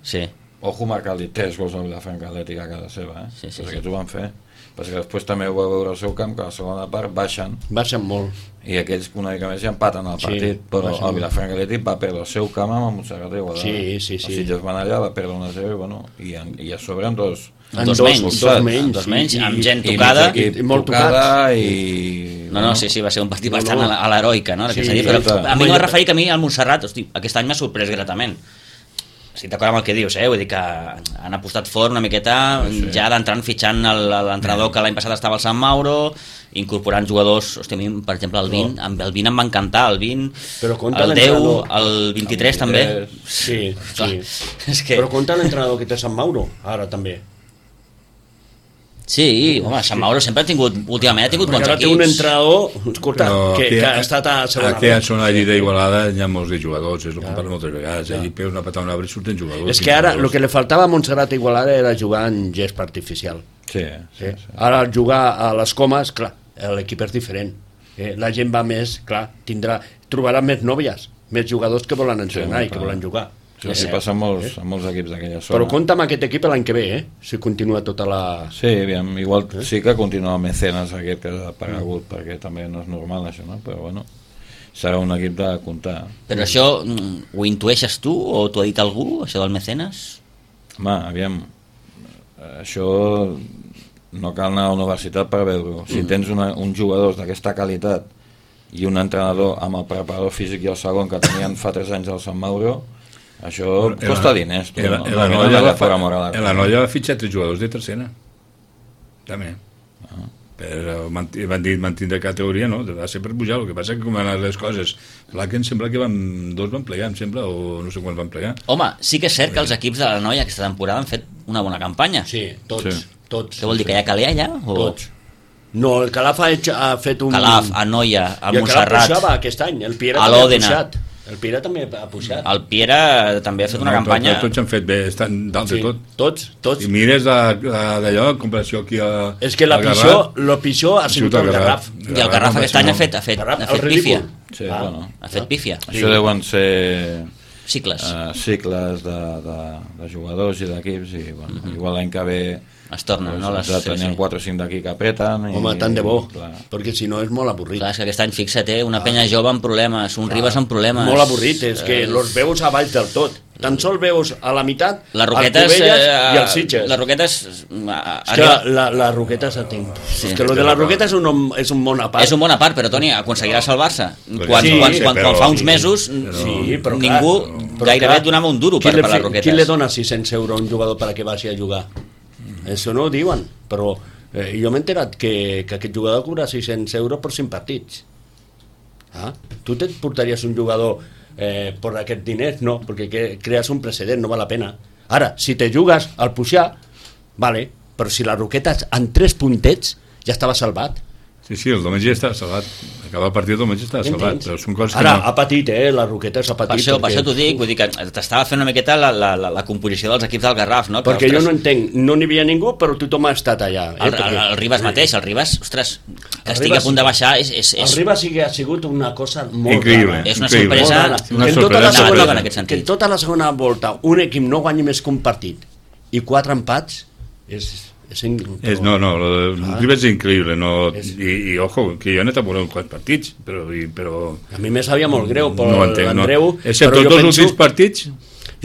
Sí.
Ojo marcar-li tres gols a Vilafranca Atlètic a casa seva, eh?
Sí, sí,
pues
sí.
Aquests ho van fer. Perquè després també ho va veure al seu camp, que a la segona part baixen.
Baixen molt.
I aquells una mica més ja empaten el partit, sí, però el Vilafranca Atlètic va perdre el seu camp amb el Montserrat i Igualada.
Sí, sí, sí.
Els Sitges van allà, va perdre una zero i, bueno, i, en, i a sobre amb dos...
En dos, dos menys, dos menys, dos menys i, amb gent tocada.
I, i, i molt tocada i...
No, no, sí, sí, va ser un partit no, bastant no. a l'heroica, no? Sí, dir, però a mi no m'ha referit que a mi al Montserrat, hosti, aquest any m'ha sorprès gratament. Estic d'acord amb el que dius, eh? Vull dir que han apostat fort una miqueta, sí. ja d'entrant fitxant l'entrenador que l'any passat estava al Sant Mauro, incorporant jugadors, hosti, a mi, per exemple, el vint, no. el vint em va encantar, el vint, el deu, el vint-i-tres també.
Sí, sí. És que... Però compta l'entrenador que té Sant Mauro, ara també.
Sí, home, Sant Mauro sempre ha tingut, últimament ha tingut bons equips.
Ara té un entrenador, escolta, que, que ha estat a segona.
Aquí a zona allí d'Igualada hi ha molts de jugadors, és el que parlo moltes vegades, allí peus una patada a un arbre i surten jugadors.
És que ara el que li faltava a Montserrat i Igualada era jugar en gespa artificial.
Sí, sí, sí.
Ara jugar a les Comes, clar, l'equip és diferent. Eh, la gent va més, clar, tindrà, trobarà més nòvies, més jugadors que volen entrenar sí, i que volen jugar.
Sí, sí, passa amb molts, amb molts equips d'aquella zona.
Però compta amb aquest equip l'any que ve, eh? Si continua tota la...
Sí, aviam, igual eh? sí que continua el mecenes aquest que ha aparegut, mm. perquè també no és normal això, no? Però bueno, serà un equip de comptar.
Però això ho intueixes tu o t'ho ha dit algú, això del mecenes?
Home, aviam, això no cal anar a la universitat per veure-ho. Si mm. tens una, un jugador d'aquesta qualitat i un entrenador amb el preparador físic i el segon que tenien fa tres anys al Sant Mauro, això costa diners. Tu,
el,
no?
el, el, no, no, va, el Anoia va fitxar tres jugadors de tercera també ah. per van dir mantindre categoria, no? Va ser per pujar. El que passa que com van anar les coses, clar que em sembla que van, dos van plegar, em sembla, o no sé quan van plegar.
Home, sí que és cert que els equips de l'Anoia aquesta temporada han fet una bona campanya.
Sí, tots, sí. tots.
Què vol dir, que hi ha Calé allà? O...
Tots. No, el Calaf ha, hecho, ha fet un...
Calaf, Anoia, el
Montserrat. I el Calaf pujava aquest any, el Pierre
a l'Òdena.
El Piera també ha pujat.
El Piera també ha fet una
no,
campanya...
Tots, tots han fet bé, estan dalt sí, de tot.
Tots, tots.
I mires d'allò, en comparació aquí a...
És que la pitjor, lo pitjor ha sigut el Garraf.
I el Garraf aquest any ha fet, ha fet, ha fet pífia.
Sí, ah, bueno.
Ha fet pífia.
Sí. Això deuen ser...
Cicles.
Uh, cicles de, de, de jugadors i d'equips i bueno, uh-huh. igual l'any que ve
es tornen, no? Les...
Tenien quatre o cinc d'aquí que apreten.
Home, tant de bo, clar. Perquè si no és molt avorrit.
Clar, és que aquest any, fixa't, eh, una penya jove amb problemes, un Ribas amb problemes.
Molt avorrit, és que eh... los veus a baix del tot. Tan sol veus a la meitat
les Roquetes,
el Cubelles eh, i els Sitges.
Les Roquetes...
És que la, la Roquetes a tinc. Sí. És que lo de la Roquetes és un, és un bon apart.
És un bon apart, però Toni, aconseguirà salvar-se. Quan,
sí,
quan,
sí,
quan,
però,
quan fa uns mesos
però, sí, però,
ningú
clar, però,
gairebé
clar,
et donava un duro per, per les Roquetes.
Qui li dona sis-cents euros a un jugador perquè vagi a jugar? Mm. Això no ho diuen, però eh, jo m'he enterat que, que aquest jugador cobra sis-cents euros per cinc partits. Ah? Tu et portaries un jugador eh, per aquests diners? No, perquè que, crees un precedent, no val la pena. Ara, si te jugues al pujar, vale, però si la Roquetes en tres puntets ja estava salvat.
Sí, sí, el diumenge està salvat. Acaba el partit el diumenge està salvat. Però són coses
Ara,
que no...
ha patit, eh? La Roquetes ha patit.
Per això, perquè... per això t'ho dic, vull dir que t'estava fent una miqueta la, la, la, la composició dels equips del Garraf, no? Que,
perquè
ostres,
jo no entenc, no n'hi havia ningú, però tothom ha estat allà. Eh?
El, el, el Ribas mateix, el Ribas, ostres, que estigui a punt de baixar és... és, és...
El Ribas sí que ha sigut una cosa molt
increïble,
rara. És una
increïble.
sorpresa,
una
que,
sorpresa
tota segona,
en aquest sentit. Que tota la segona volta un equip no guanyi més que un partit i quatre empats és... És,
és, no, no, el ah. Ribas és increïble, no, és... I, i ojo, que jo he anat a veure uns quants partits, però, i, però...
A mi me sabia molt greu per
no entenc,
l'Andreu,
no. Excepte els dos penso, últims partits...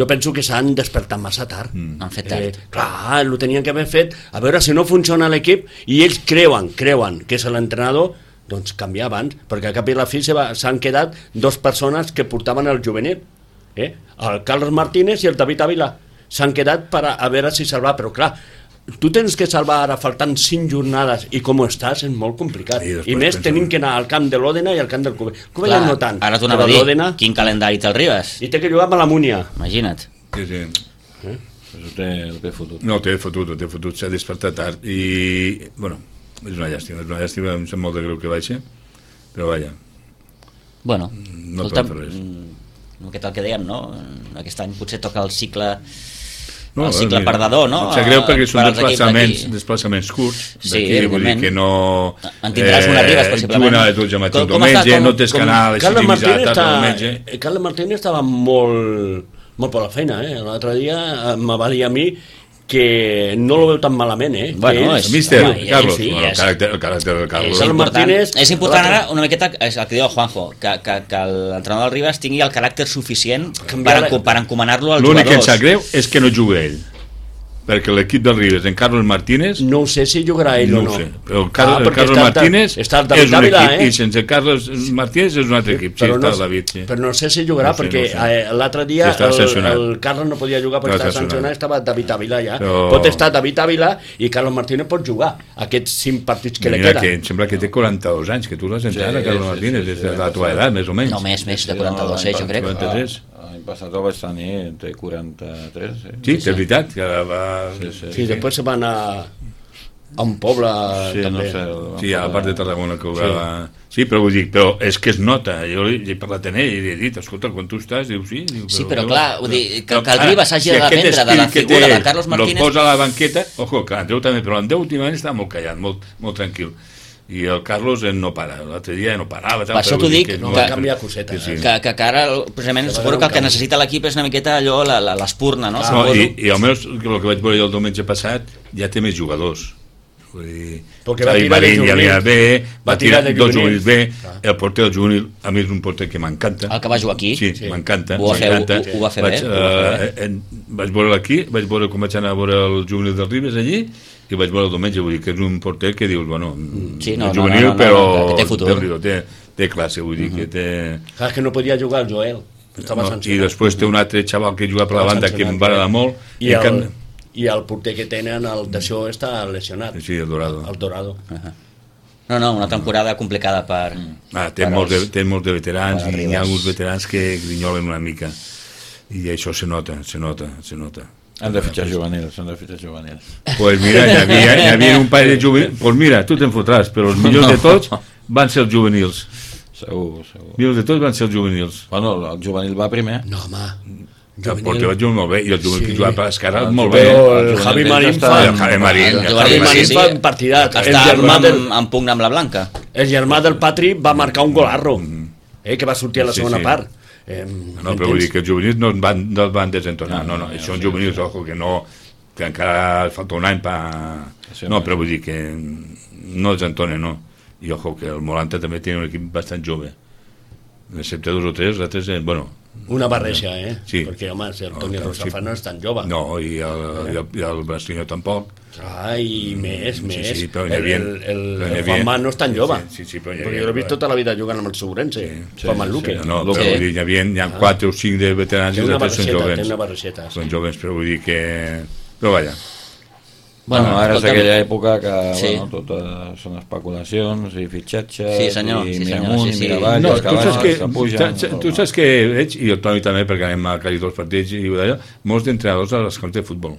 Jo penso que s'han despertat massa tard.
Mm. Han fet tard.
Eh, clar, ho tenien que haver fet, a veure si no funciona l'equip, i ells creuen, creuen que és l'entrenador, doncs canviar abans, perquè a cap i a la fi s'han quedat dos persones que portaven el juvenil, eh? El Carlos Martínez i el David Ávila. S'han quedat per a, a veure si salvar, però clar, tu tens que salvar ara faltant cinc jornades i com estàs és molt complicat i, i més tenim que anar al camp de l'Òdena i al camp del Cubelles. Cubelles no tant,
ara t'ho anava a dir, quin calendari té el Ribas
i té que jugar amb la Múnia,
imagina't.
Sí, sí.
Eh? Això té, té fotut.
No, té fotut, té fotut, s'ha despertat tard i, bueno, és una llàstima, és una llàstima, em sap molt de greu que vagi, però vaja.
Bueno,
no
escolta, no, què tal que dèiem, no? Aquest any potser toca el cicle... No, el cicle mira, perdedor, no?
Em sap greu perquè són desplaçaments, desplaçaments curts
sí,
d'aquí, vull dir que no...
En tindràs una Ribas, possiblement.
Juguen a les dotze de matí el diumenge, no tens que anar a les sis i mitja de tarda el diumenge.
Carles Martínez estava molt, molt per la feina, eh? L'altre dia me va dir a mi que no lo veu tan malament, eh?
Bueno, és... Míster, Carlos, sí, bueno, el, caràcter, el caràcter del Carlos.
És important, és important ara una miqueta, és el que diu el Juanjo, que, que, que l'entrenador del Ribas tingui el caràcter suficient per, per encomanar-lo als
jugadors. L'únic
que
em sap greu és que no juga ell. Perquè l'equip del Ribas, en Carlos Martínez...
No ho sé si jugarà ell
no
o no.
Ho sé, però el Carlos, ah, el Carlos Martínez
està el
és un
Dávila,
equip,
eh?
i sense Carlos Martínez és un altre equip. Sí,
però,
està
no,
el David, sí.
però no sé si jugarà, no sé, perquè no sé. l'altre dia sí, el, el Carlos no podia jugar perquè estava sancionat, estava David Ávila ja. Però... Pot estar David Ávila i Carlos Martínez pot jugar aquests cinc partits que li queden.
Que em sembla que té quaranta-dos anys, que tu l'has entrat, sí, Carlos Martínez, des de la tua edat, més o menys.
No, més, més de quaranta-dos, jo crec.
quaranta-tres.
L'any passat el vaig tenir entre quaranta-tres. Eh?
Sí, és veritat. Que va...
Sí, sí, sí, després se va anar a un poble
sí,
també.
No sé,
sí, a la part de Tarragona que jugava... Sí. sí, però vull dir, però és que es nota. Jo he parlat amb ell i li he dit, escolta, quan tu estàs, diu sí. Diu,
però, sí, però clar, vull dir, que, que el Ribas hagi de dependre de la figura de Carlos Martínez...
El posa a la banqueta, ojo, que l'Andreu també, però l'Andreu últimament estava molt callat, molt, molt tranquil. I el Carlos no para, l'altre dia no parava.
Per això t'ho dic, que,
no va canviar coseta.
Sí, sí. Que, que, que ara, precisament, seguro que el que necessita l'equip és una miqueta allò, l'espurna, no?
Ah, no i, I almenys el que vaig veure el diumenge passat ja té més jugadors. Vull dir,
perquè va tirar de juvenil,
bé, va tirar dos juvenils bé, el porter del juvenil, a mi és un porter que m'encanta.
El que va jugar aquí?
Sí, sí. m'encanta.
Ho, ho, ho va fer
vaig,
bé?
Uh, en, vaig veure aquí, vaig veure com vaig anar a veure el juvenil del Ribas allí, i vaig veure el diumenge, vull dir que és un porter que dius, bueno,
sí, no,
juvenil,
no, no, no,
però
no, que té futur.
Té, té classe, vull dir uh -huh. que té...
Clar, que no podia jugar el Joel.
No, i després té un altre xaval que juga per la banda que em va agradar molt.
I, i, el, I el porter que tenen, el d'això, està lesionat.
Sí, el Dorado.
El Dorado.
Uh -huh. No, no, una temporada complicada per...
Ah, té, per molts els, de, té molts de veterans i hi ha alguns veterans que grinyolen una mica. I això se nota, se nota, se nota.
Han de fitxar juvenils, han de fitxar juvenils.
Pues mira, hi havia, hi havia un parell de juvenils. Pues mira, tu te'n fotràs, però els millors no. de tots van ser els juvenils.
Segur, segur.
Mira, de tots van ser els juvenils.
Bueno, el juvenil va primer.
No, home.
El Porter va jugar molt bé, i el juvenil que jugava per l'esquerra molt bé.
El Javi Marín fa...
El Javi Marín.
El Javi Marín fa un partidat.
Està en pugna amb la Blanca.
El germà del Patri va marcar un golarro, que va sortir a la segona part.
No, però vull dir que els juvenils no el van desentonar. No, no, això són juvenils, ojo, que no... que encara falta un any per... No, però vull dir que no els entona, no. I ojo, que el Molanta també té un equip bastant jove. Excepte dos o tres, els altres, bueno...
Una barreja, eh?
Sí.
Perquè, home, el Toni Rosafa no és tan jove.
No, i el, i el, i el Brastinho tampoc.
Ah, i més,
sí,
més.
Sí, però
el,
havia,
el, el, el Juanma no és tan jove.
Sí, sí, sí, però
perquè jo l'he vist tota la vida jugant amb el Segurense, sí, Juanma sí, Luque.
Sí, no, però vull dir, hi havia, hi ha ah. quatre o cinc de veterans i els són jovens.
Té una barrexeta, sí.
Són jovens, però vull dir que... Però vaja.
Bueno, ara és aquella època que sí. bueno, tot són especulacions i fitxatges
sí, senyor,
i
sí,
mira
senyor,
amunt
sí, sí.
i mira avall,
no,
els cavalls
que,
que pugen.
Tu saps que veig, i el Toni també, perquè anem a quasi dos partits i d'allò, molts d'entrenadors a les camps de futbol.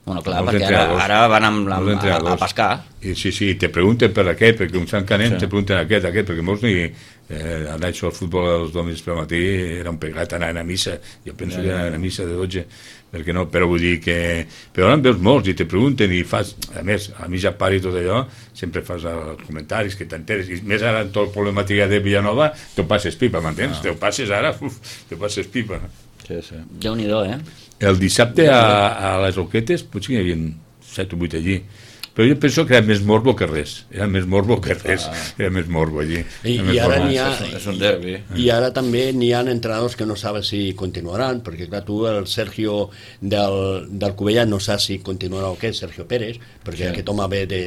Bueno, clar, perquè ara, ara van amb la, a, a pescar.
I sí, sí, te pregunten per aquest, perquè un Sant Canem sí. te pregunten aquest, aquest, perquè molts ni... Eh, anar això al futbol els diumenges pel matí era un pegat anar a missa, jo penso ja, que anar a missa de dotze, perquè no, però vull dir que... Però ara en veus molts i te pregunten i fas... A més, a mi ja pare i tot allò, sempre fas els comentaris que t'enteres, i més ara en tot el problemàtica de Villanova, te'l passes pipa, m'entens? Ah. Te'l passes ara, uf, te'l passes pipa.
Sí, sí.
Déu-n'hi-do, eh?
El dissabte a, a les Roquetes potser hi havia set o vuit allí, però jo penso que era més morbo que res, era més morbo que res, era més morbo allí.
I, i ara n'hi ha,
és un derbi.
I ara també n'hi ha entrenadors que no saben si continuaran, perquè clar, tu el Sergio del, del Cubella no saps si continuarà o què, Sergio Pérez, perquè sí. aquest home ve de,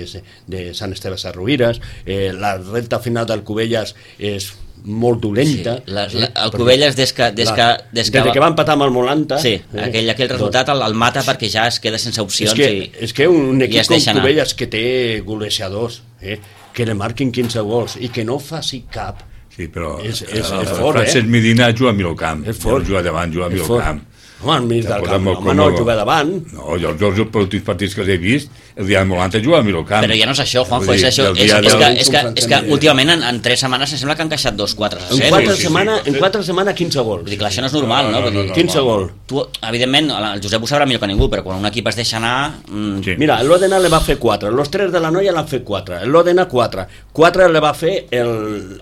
de Sant Esteve Sarrovires, eh, la recta final del Cubelles és molt dolenta.
Sí, la, la, el Cubelles des que, des que, des que,
des que va empatar amb el Molanta
sí, eh, aquell, aquell resultat el, el mata perquè ja es queda sense opcions
és que,
i,
és que un equip com Cubelles que té golejadors eh, que le marquin quinze gols i que no faci cap
sí, però
és, és,
el,
és fort,
Francesc
eh?
Medina juga a Milocamp,
és fort.
Juga davant, juga a Milocamp.
Home, al mig del camp, home, no juga davant.
No, jo els dos últims partits que els he vist, el dia del Molanta juga a Milocamp.
Però ja no és això, Juanjo, és això. És, és, que, és, que, és que últimament en, en tres setmanes em sembla que han encaixat dos quatre a zero.
En quatre, sí, setmana, sí, sí. En quatre setmanes quinze gols.
Vull dir que això no és normal, no? no, no, no, no
quinze gols.
Tu, evidentment, el Josep ho sabrà millor que ningú, però quan un equip es deixa anar... Mmm...
Sí. Mira, l'Òdena le va fer quatre, los tres de la Noia l'han fet quatre, l'Òdena quatre, quatre le va fer el,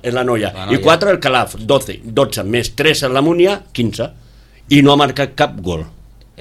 el la Noia, la Noia, i quatre el Calaf, dotze, dotze, més tres en la Múnia, quinze, i no ha marcat cap gol.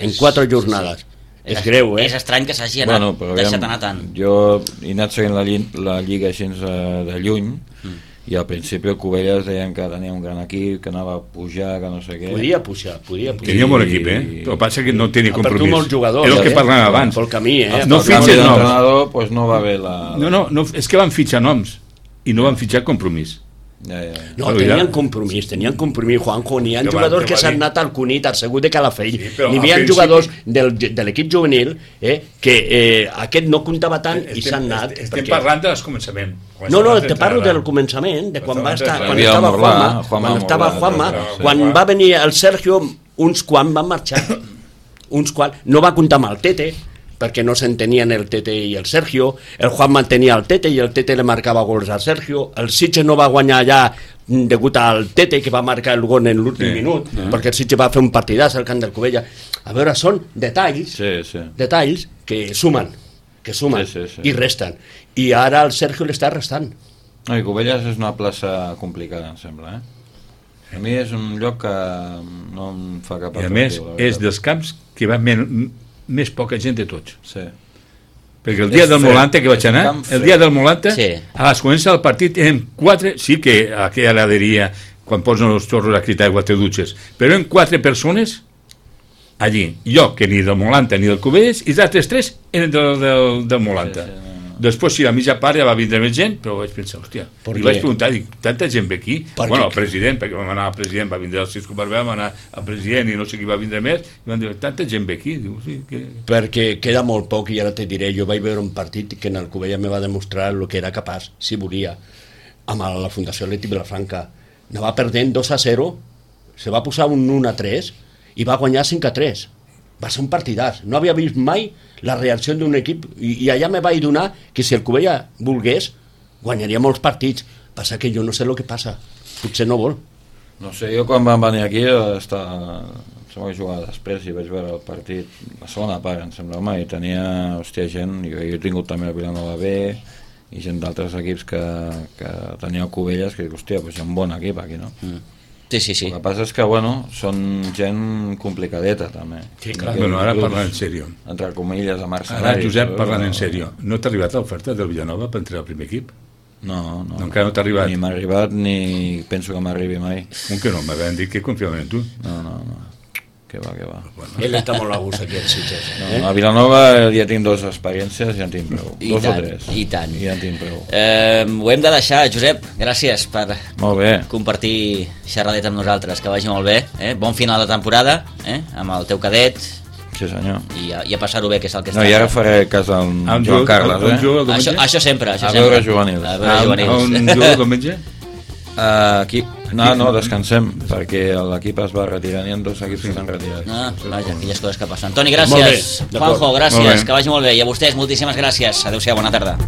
En quatre jornades. Sí, sí. És, és greu, eh?
És estrany que s'hagi anat, bueno, deixat anar tant.
Jo he anat seguint la, la Lliga així de lluny mm. i al principi el Cubelles deien que tenia un gran equip, que anava a pujar, que no sé què.
Podia pujar, podia pujar.
Tenia un bon equip, eh? Però passa que no tenia compromís.
Ha perdut molts jugadors.
És el que
eh?
parlàvem abans.
Pel camí, eh?
No fitxen
noms. Pues no va bé la...
No, no, no, és que van fitxar noms i no van fitxar compromís.
Ja, ja.
No, tenien compromís, tenien compromís, Juanjo, n'hi ha jo jugadors va, que s'han anat al Cunit, al Segut de Calafell, sí, n'hi havia jugadors del, de l'equip juvenil eh, que eh, aquest no comptava tant estem, i s'han anat.
Estem perquè... parlant del començament.
No, no, te parlo del començament, de quan va estar, quan estava Juanma, quan estava Juanma, quan va venir el Sergio, uns quan van marxar, uns quan, no va comptar amb el Tete, perquè no s'entenien el Tete i el Sergio, el Juan mantenia el Tete i el Tete le marcava gols al Sergio, el Sitges no va guanyar allà degut al Tete que va marcar el gol en l'últim sí, minut, sí. perquè el Sitges va fer un partidàs al camp del Cubella. A veure, són detalls,
sí, sí.
detalls que sumen, que sumen
sí, sí, sí.
i resten. I ara el Sergio l'està restant.
No, i Cubelles és una plaça complicada, em sembla, eh? A mi és un lloc que no em fa cap
atractiu. I a més, és dels camps que va men més poca gent de tots.
Sí.
Perquè el dia és del Molanta que vaig anar, el dia del Molanta, sí. A les comença del partit eren quatre, sí que a aquella heladeria, quan posen els xorros a cridar aigua te dutxes, però eren quatre persones allí. Jo, que ni del Molanta ni del Cubelles, i els altres tres eren del, del, del Molanta. Sí, sí, no. Després, sí, a mitja part ja va vindre més gent, però vaig pensar, hòstia, i vaig preguntar, dic, tanta gent ve aquí? Per bueno, el president, perquè vam anar al president, va vindre el Cisco Barbé, vam anar al president i no sé qui va vindre més, i van dir, tanta gent ve aquí? Diu, sí, que...
Perquè queda molt poc i ara te diré, jo vaig veure un partit que en el Cubella me va demostrar el que era capaç, si volia, amb la Fundació Atlètic Vilafranca. Anava perdent dos a zero, se va posar un un a tres i va guanyar cinc a tres. Va ser un partidàs, no havia vist mai la reacció d'un equip i, i allà me vaig donar que si el Cubella volgués guanyaria molts partits, passa que jo no sé el que passa potser no vol.
No sé, jo quan vam venir aquí estar, sembla que jugava després i vaig veure el partit, la segona part em sembla, home, i tenia, hòstia, gent, jo, jo he tingut també el Vilanova B i gent d'altres equips que, que tenia Cubelles, que dic, hòstia, doncs hi ha un bon equip aquí, no?
Mm. Sí, sí, sí.
El que passa és que, bueno, són gent complicadeta, també.
Sí, clar. Bueno, ara parlant en sèrio.
Entre comilles, a mercenaris.
Ara, Josep, parlant en sèrio, no t'ha arribat l'oferta del Vilanova per entrar al primer equip?
No, no.
No, encara no t'ha arribat?
Ni m'ha arribat, ni penso que m'arribi mai.
Com que no? M'havien dit que confiaven en tu.
No, no, no. Que va, que va.
Bueno, ell està molt a gust aquí al Sitges.
Eh? No, a Vilanova ja tinc dues experiències i ja en tinc prou.
I
dos
tant,
o tres.
I tant.
I ja en tinc prou.
Eh, ho hem de deixar, Josep. Gràcies per
molt bé.
compartir xerradeta amb nosaltres. Que vagi molt bé. Eh? Bon final de temporada, eh? Amb el teu cadet.
Sí, senyor.
I a, i a passar-ho bé, que és el que
no,
està.
I ara faré cas al Joan
jugo,
Carles, eh?
Això, això sempre. Això
a
sempre.
veure juvenils.
A veure juvenils.
On jugo el diumenge?
Uh, aquí, no, no, descansem perquè l'equip es va retirar, n'hi ha dos equips que s'han retirat.
Ah, vaja, aquelles coses que passen. Toni, gràcies. Juanjo, gràcies, que vagi molt bé. I a vostès, moltíssimes gràcies. Adéu-siau, bona tarda.